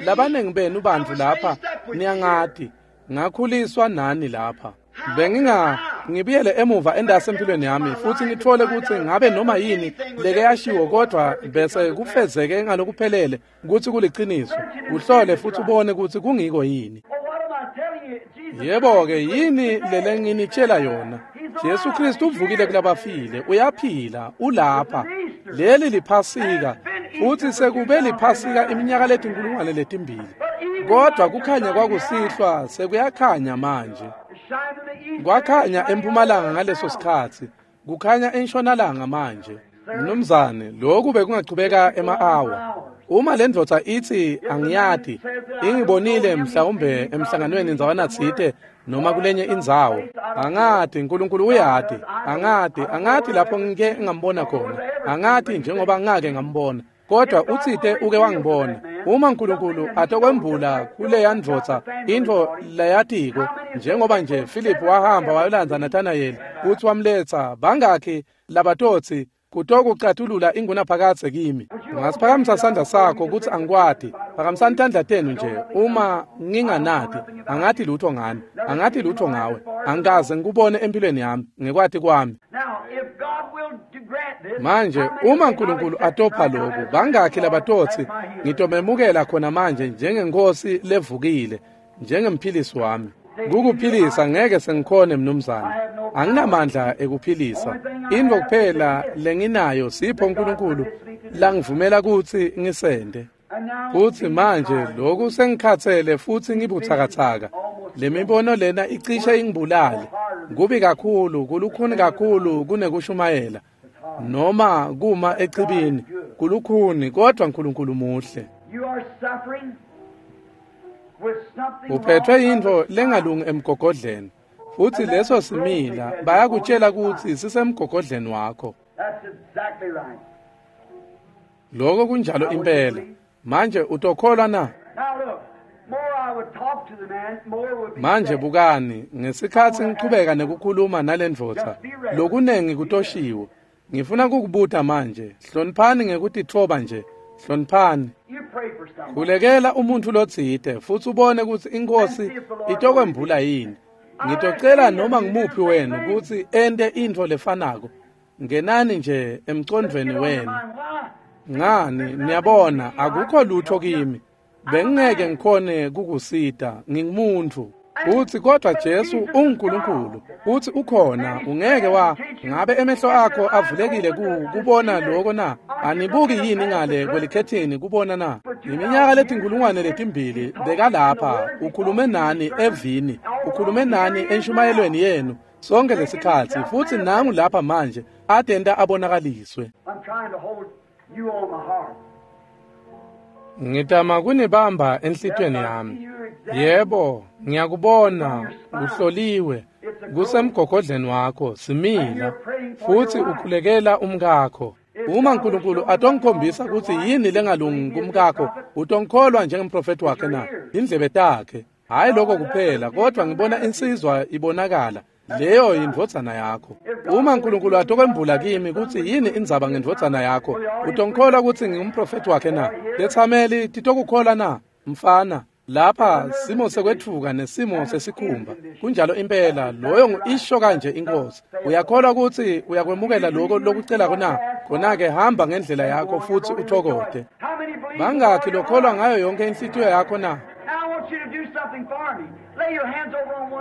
Labanengi benu bantfu lapha niyangati. Ngakhuliswa nani lapha. Benginga ngibuyele emuva endase empilweni yami futhi ngithole ukuthi ngabe noma yini leke yashiwo kodwa bese kufezeke ngalokuphelele ukuthi kuliciniso. Uhlole futhi ubone ukuthi kungiko yini. Well, what am I telling you? Jesus Yebo-ke yini lele nginitshela yona? Jesu Kristu uvukile kulabafile, uyaphila, ulapha. Leli liphasika, futhi sekube liphasika iminyaka letinkulungwane letimbili. Kodwa kukhanya kwakusihlwa sekuyakhanya manje. shined in the east. Kwakhanya empumalanga ngaleso sikhatsi, kukhanya entshonalanga manje. Mnumzane, lokhu bekungachubeka ema-awa. Uma le ndvodza itsi angiyati, ingibonile mhlawumbe emhlanganweni ndzawana tsite noma kulenye indzawo. Angati, uNkulunkulu uyati. Angati, angati lapho ngike ngambona khona. Angati njengoba ngake ngambona. Kodwa utsite uke wangibona. Uma uNkulunkulu atokwembula kuleya ndvodza intfo layatiko, njengoba nje Philip wahamba wayolandza Nathanayeli kutsi wamletsa, bangakhi labatotsi kutokucatulula ingunaphakadze kimi. Ungasiphakamisa sandla sakho kutsi angikwati. Phakamisani tandla tenu nje uma nginganati, angati lutho ngani, angati lutho ngawe, angikaze ngikubone empilweni yami, ngekwati kwami. Now, if God will grant this, Manje how many uma will uNkulunkulu accept atopha right now lokhu, as bangakhi Lord labatotsi as my healer? ngitomemukela khona manje njengenkosi levukile, njengemphilisi wami. Kukuphilisa ngeke sengikhone mnumzane. Anginamandla ekuphilisa. Intfo kuphela lenginayo sipho uNkulunkulu langivumela kutsi ngisente. And now, Futhi manje lokhu sengikhathele futhi ngibuthakathaka. Le mibono lena icishe ingibulale. Kubi kakhulu, kulukhuni kakhulu kunekushumayela. Noma kuma echibini, kulukhuni kodwa uNkulunkulu muhle. you are suffering with something Uphethwe wrong yintfo on the lengalungi emgogodleni. Futhi leso simila bayakutshela ukuthi sisemgogodleni wakho. That's exactly right. Lokho kunjalo impela. Manje utokholwa na? Now look, more I would talk to the Manje bukani, ngesikhatsi ngichubeka nekukhuluma nalendvodza, lokunengi kutoshiwo. Ngifuna kukubuta manje, hloniphani ngekutitfoba nje, hloniphani. Khulekela umuntfu lotsite futsi ubone kutsi iNkhosi itokwembula yini. Ngitocela noma ngumuphi wenu kutsi ente intfo lefanako. Ngenani nje emcondvweni wenu. Ngani, niyabona, akukho lutho kimi. Bengingeke ngikhone kukusita, ngingumuntu. Uthi kodwa Jesu unguNkulunkulu, uthi ukhona, ungeke wa ngabe emehlo akho avulekile kubona lokho na? Anibuki yini ngale kwelikhethini kubona na? Iminyaka letinkulungwane letimbili bekalapha, ukhulume nani evini, ukhulume nani enshumayelweni yenu sonke lesikhatsi, futsi nangu lapha manje atenta abonakaliswe. Ngitama kunibamba enhlitiyweni yami. Yebo, ngiyakubona uhloliwe kusemgogodleni wakho simila, futsi ukhulekela umkakho. Uma uNkulunkulu atongikhombisa kutsi yini lengalungi kumkakho, utongikholwa njengemprofeti wakhe na? Indlebe takhe. Hayi lokho kuphela, kodwa ngibona insizwa ibonakala. Leyo yindvodzana yakho. Uma uNkulunkulu atokwembula kimi kutsi yini indzaba ngendvodzana yakho, utongikholwa kutsi ngingumprofeti wakhe na? Tetsameli titokukholwa na? Mfana, lapha simo sekwetfuka nesimo sesikhumba. Kunjalo impela, loyo ngu-isho kanje iNkhosi. Uyakholwa kutsi uyakwemukela lokho lokucelako na? Khona-ke hamba ngendlela yakho futsi uthokote. Bangakhi lokholwa ngayo yonke inhlitiyo yakho na?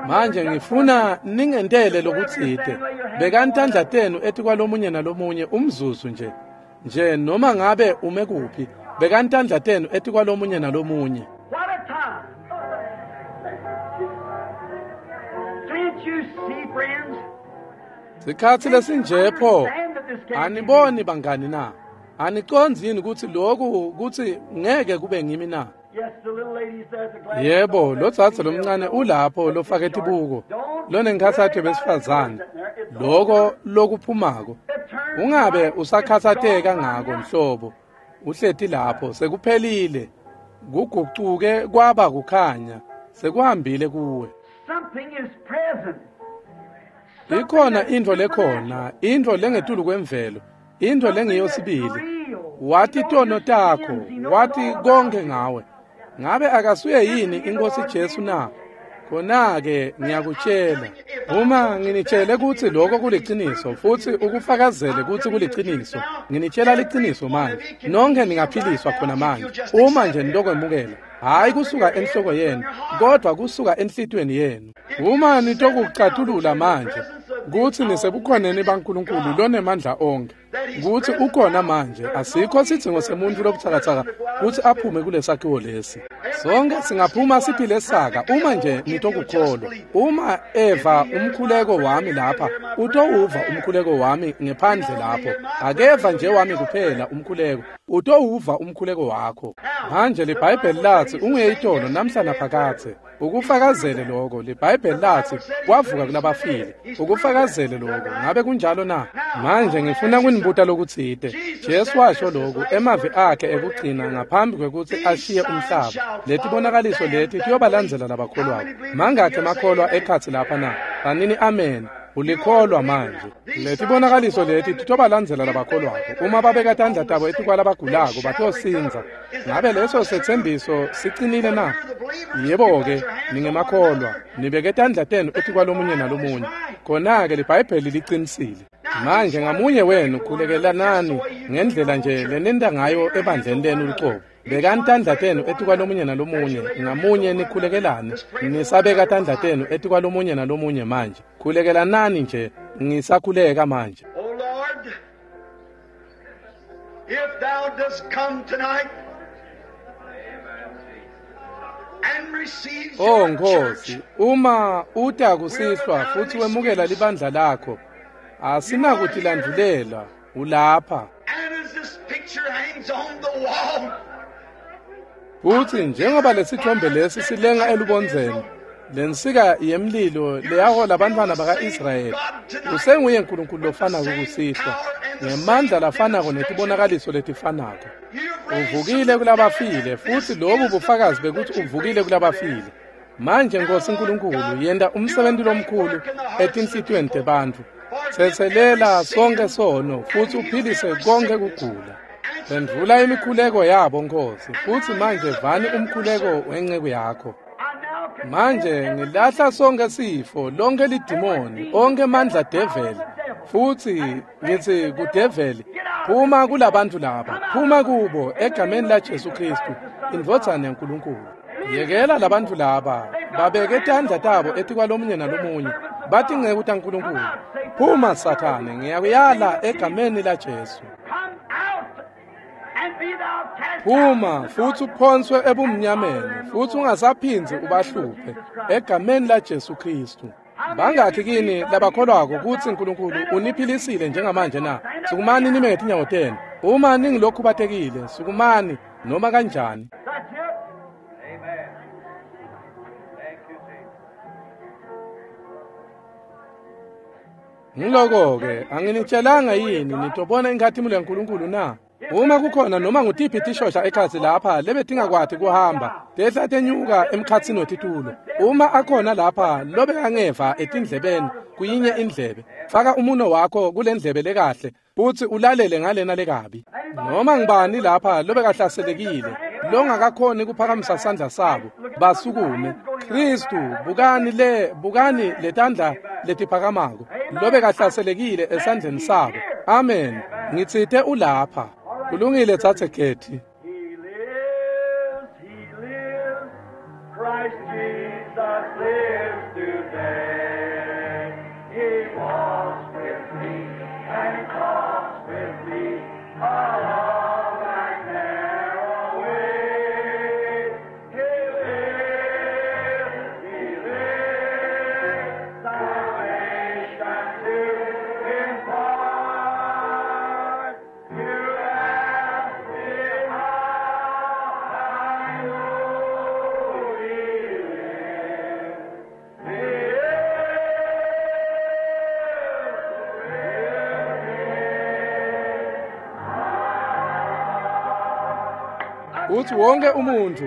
Manje ngifuna ningentele lokutsite. Bekani tandla tenu etikwalomunye nalomunye umzuzu nje. Nje noma ngabe ume kuphi, bekani tandla tenu etikwalomunye nalomunye. Sikhatsi lesinje pho, aniboni bangani na? Anicondzi yini kutsi lokhu kutsi ngeke kube ngimi na? Yebo, lodzadze lomncane ulapho lofake tibuko, lonenkhatsato besifazane, loko lokuphumako. Ungabe usakhatsateka ngako nhlobo. Uhleti lapho sekuphelile. Kugucuke kwaba kukhanya, sekuhambile kuwe. Ikhona intfo lekhona, intfo lengetulu kwemvelo, intfo lengiyo sibili. Wati tono takho, wati konke ngawe. Ngabe akasuye yini iNkhosi Jesu na? Khona-ke ngiyakutshela, uma nginitshele kutsi lokho kuliciniso futsi ukufakazele kutsi kuliciniso, nginitshela liciniso manje. Nonke ningaphiliswa khona manje, uma nje nitokwemukela. Hayi kusuka enhloko yenu, kodwa kusuka enhlitiyweni yenu. Uma nitokucatulula manje kutsi nisebukhoneni baNkulunkulu lonemandla onke, kutsi ukhona manje, asikho sidzingo semuntfu lobutsakatsaka kutsi aphume kulesakhiwo lesi. Sonke singaphuma siphile saka uma nje nitokukholwa. Uma eva umkhuleko wami lapha, utowuva umkhuleko wami ngephandle lapho. Akeva nje wami kuphela umkhuleko, utowuva umkhuleko wakho. Manje liBhayibheli latsi unguye itolo namhla naphakadze. Ukufakazele lokho. LiBhayibheli latsi wavuka kulabafile. Ukufakazele lokho. Ngabe kunjalo na? Manje ngifuna kunibuta lokutsite. Jesu washo lokhu emavi akhe ekugcina ngaphambi kwekutsi ashiye umhlaba. Letibonakaliso leti tiyobalandzela labakholwako. Mangakhi emakholwa ekhatsi lapha na? Tsanini amen. Ulikholwa manje. Letibonakaliso leti titobalandzela labakholwako. Uma babeka tandla tabo etikwalabagulako batosindza. Ngabe leso setsembiso sicinile na? Yebo-ke, ningemakholwa. Nibeke tandla tenu etikwalomunye nalomunye. Khona-ke liBhayibheli licinisile. Manje ngamunye wenu khulekelanani ngendlela nje lenenta ngayo ebandleni lenu lucobo. Bekani tandla tenu etikwalomunye nalomunye, ngamunye nikhulekelane. Nisabeka tandla tenu etikwalomunye nalomunye manje. Khulekelanani nje, ngisakhuleka manje. O Lord, if thou dost come tonight and receive Oh your Nkosi, church, uma uta kusihlwa futhi wemukela libandla lakho, asinakutilandulela, ulapha. and as this picture hangs on the wall, Futhi njengoba lesithombe lesi silenga elubondzeni, lensika yemlilo leyahola abantwana baka-Israyeli, usenguye uNkulunkulu lofanako kusihlwa, ngemandla lafanako netibonakaliso letifanako. you've raised Uvukile kulabafile, futhi lobu bufakazi bekuthi uvukile kulabafile. Manje Nkosi Nkulunkulu, yenta umsebenzi lomkhulu etinhlitiyweni tebantfu. Tsetselela sonke sono futsi uphilise konke kugula. Phendvula imikhuleko yabo Nkosi, futsi manje vani umkhuleko wenceku yakho. Manje ngilahla sonke sifo, lonke lidimoni, onke amandla develi, futsi ngitsi kudeveli, phuma kulabantu laba, phuma kubo egameni la Jesu Kristu, indvodzana yaNkulunkulu. Yekela labantu laba babeke tandla tabo etikwalomunye nalomunye, batinceku taNkulunkulu. Phuma Sathane, ngiyakuyala egameni la Jesu. Phuma futsi uphonswe ebumnyameni, futsi ungasaphindzi ubahluphe egameni la Jesu Kristu. Bangakhi kini labakholwako kutsi Nkulunkulu uniphilisile njengamanje na? Sukumani nime ngetinyawo tenu. Uma ningilokhubatekile, sukumani noma kanjani. Ngiloko-ke, anginitshelanga yini nitobona inkhatimulo yaNkulunkulu na? Uma kukhona noma ngutiphi tishosha ekhatsi lapha lebetingakwati kuhamba, tehla tenyuka emkhatsini wetitulo. Uma akhona lapha lobekangeva etindlebeni kuyinye indlebe, faka umuno wakho kule ndlebe lekahle futsi ulalele ngalena lekabi. Noma ngibani lapha lobekahlaselekile, longakakhoni kuphakamisa sandla sabo, basukume. Kristu, bukani le, bukani letandla letiphakamako, lobekahlaselekile esandleni sabo. Amen. Ngitsite ulapha. Kulungile tsatse Kethi. He lives, he lives, Christ Jesus lives today. He walks with me and talks with me along that narrow way. He lives, he lives, salvation to impart. You ask me how I know he lives. He Utsi wonke umuntfu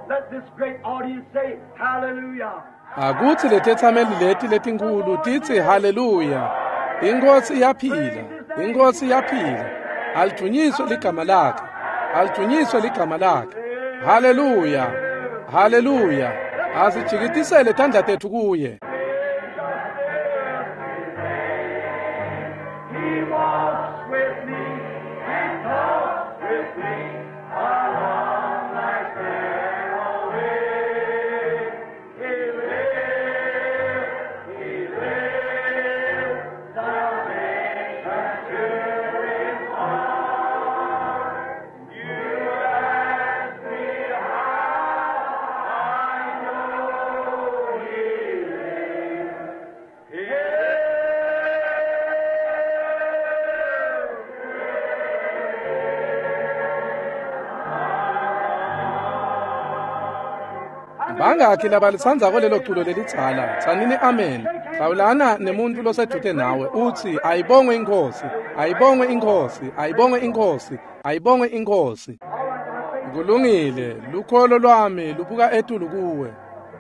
Let this great audience say, Hallelujah. Akutsi letetsameli leti letinkulu titsi haleluya. Inkosi iyaphila, inkosi iyaphila. Alidunyiswe ligama lakhe, alidunyiswe ligama lakhe. Haleluya, haleluya. Asijikitisele tandla tetfu kuye. He walks with me and talks with me along life's narrow way. He lives, he lives, salvation to impart. You ask me how I know he lives. He lives. Bangakhi labalitsandzako lelo culo lelidzala, tsanini amen. Hlawulana nemuntfu losedvute nawe utsi ayibongwe inkosi, ayibongwe inkosi, ayibongwe inkosi, ayibongwe inkosi. Kulungile, lukholo lwami lubuka etulu kuwe.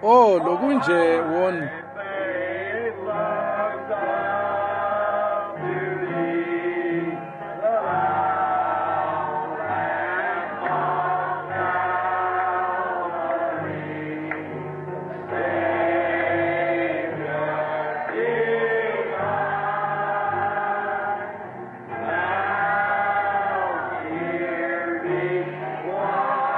Oh, lokunje won. Faith looks up to thee, the Lamb of Calvary, Savior divine. Now hear me, why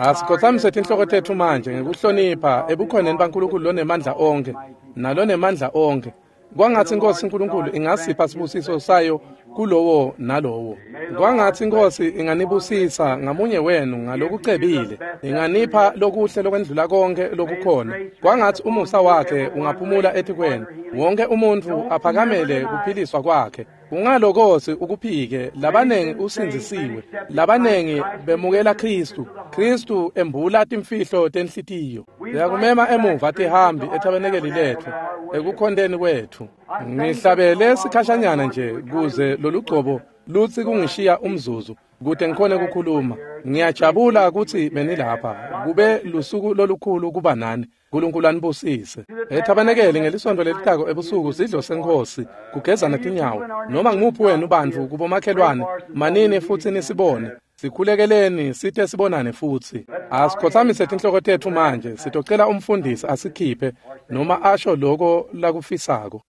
Asikhothamise tinhloko tetfu manje ngekuhlonipha ebukhoneni baNkulunkulu lonemandla onkhe nalonemandla onkhe. Kwangatsi iNkhosi uNkulunkulu ingasipha sibusiso sayo kulowo nalowo. Kwangatsi iNkhosi inganibusisa ngamunye wenu ngalokucebile, inganipha lokuhle lokwendlula konkhe lokukhona. Kwangatsi umusa wakhe ungaphumula etikwenu, wonke umuntfu aphakamele kuphiliswa kwakhe. Ungalokosi ukuphike, labanengi usindzisiwe, labanengi bemukela Khristu. Khristu embula timfihlo tenhlitiyo. Siyakumema emuva tihambi ethabenekeli letfu, ekukhonteni kwetfu. Ngihlabele sikhashanyana nje kuze lolugcobo lutsi kungishiya umzuzu kute ngikhone kukhuluma. Ngiyajabula kutsi benilapha. Kube lusuku lolukhulu kuba nani. Nkulunkulu anibusise. Ethabenekeli ngelisonto lelitako ebusuku sidlo seNkhosi, kugezana tinyawo. Noma ngumuphi wenu bantfu kubomakhelwane, manini futsi nisibone. Sikhulekeleni site sibonane futsi. Asikhothamise tinhloko tetfu manje, sitocela umfundisi asikhiphe noma asho loko lakufisako.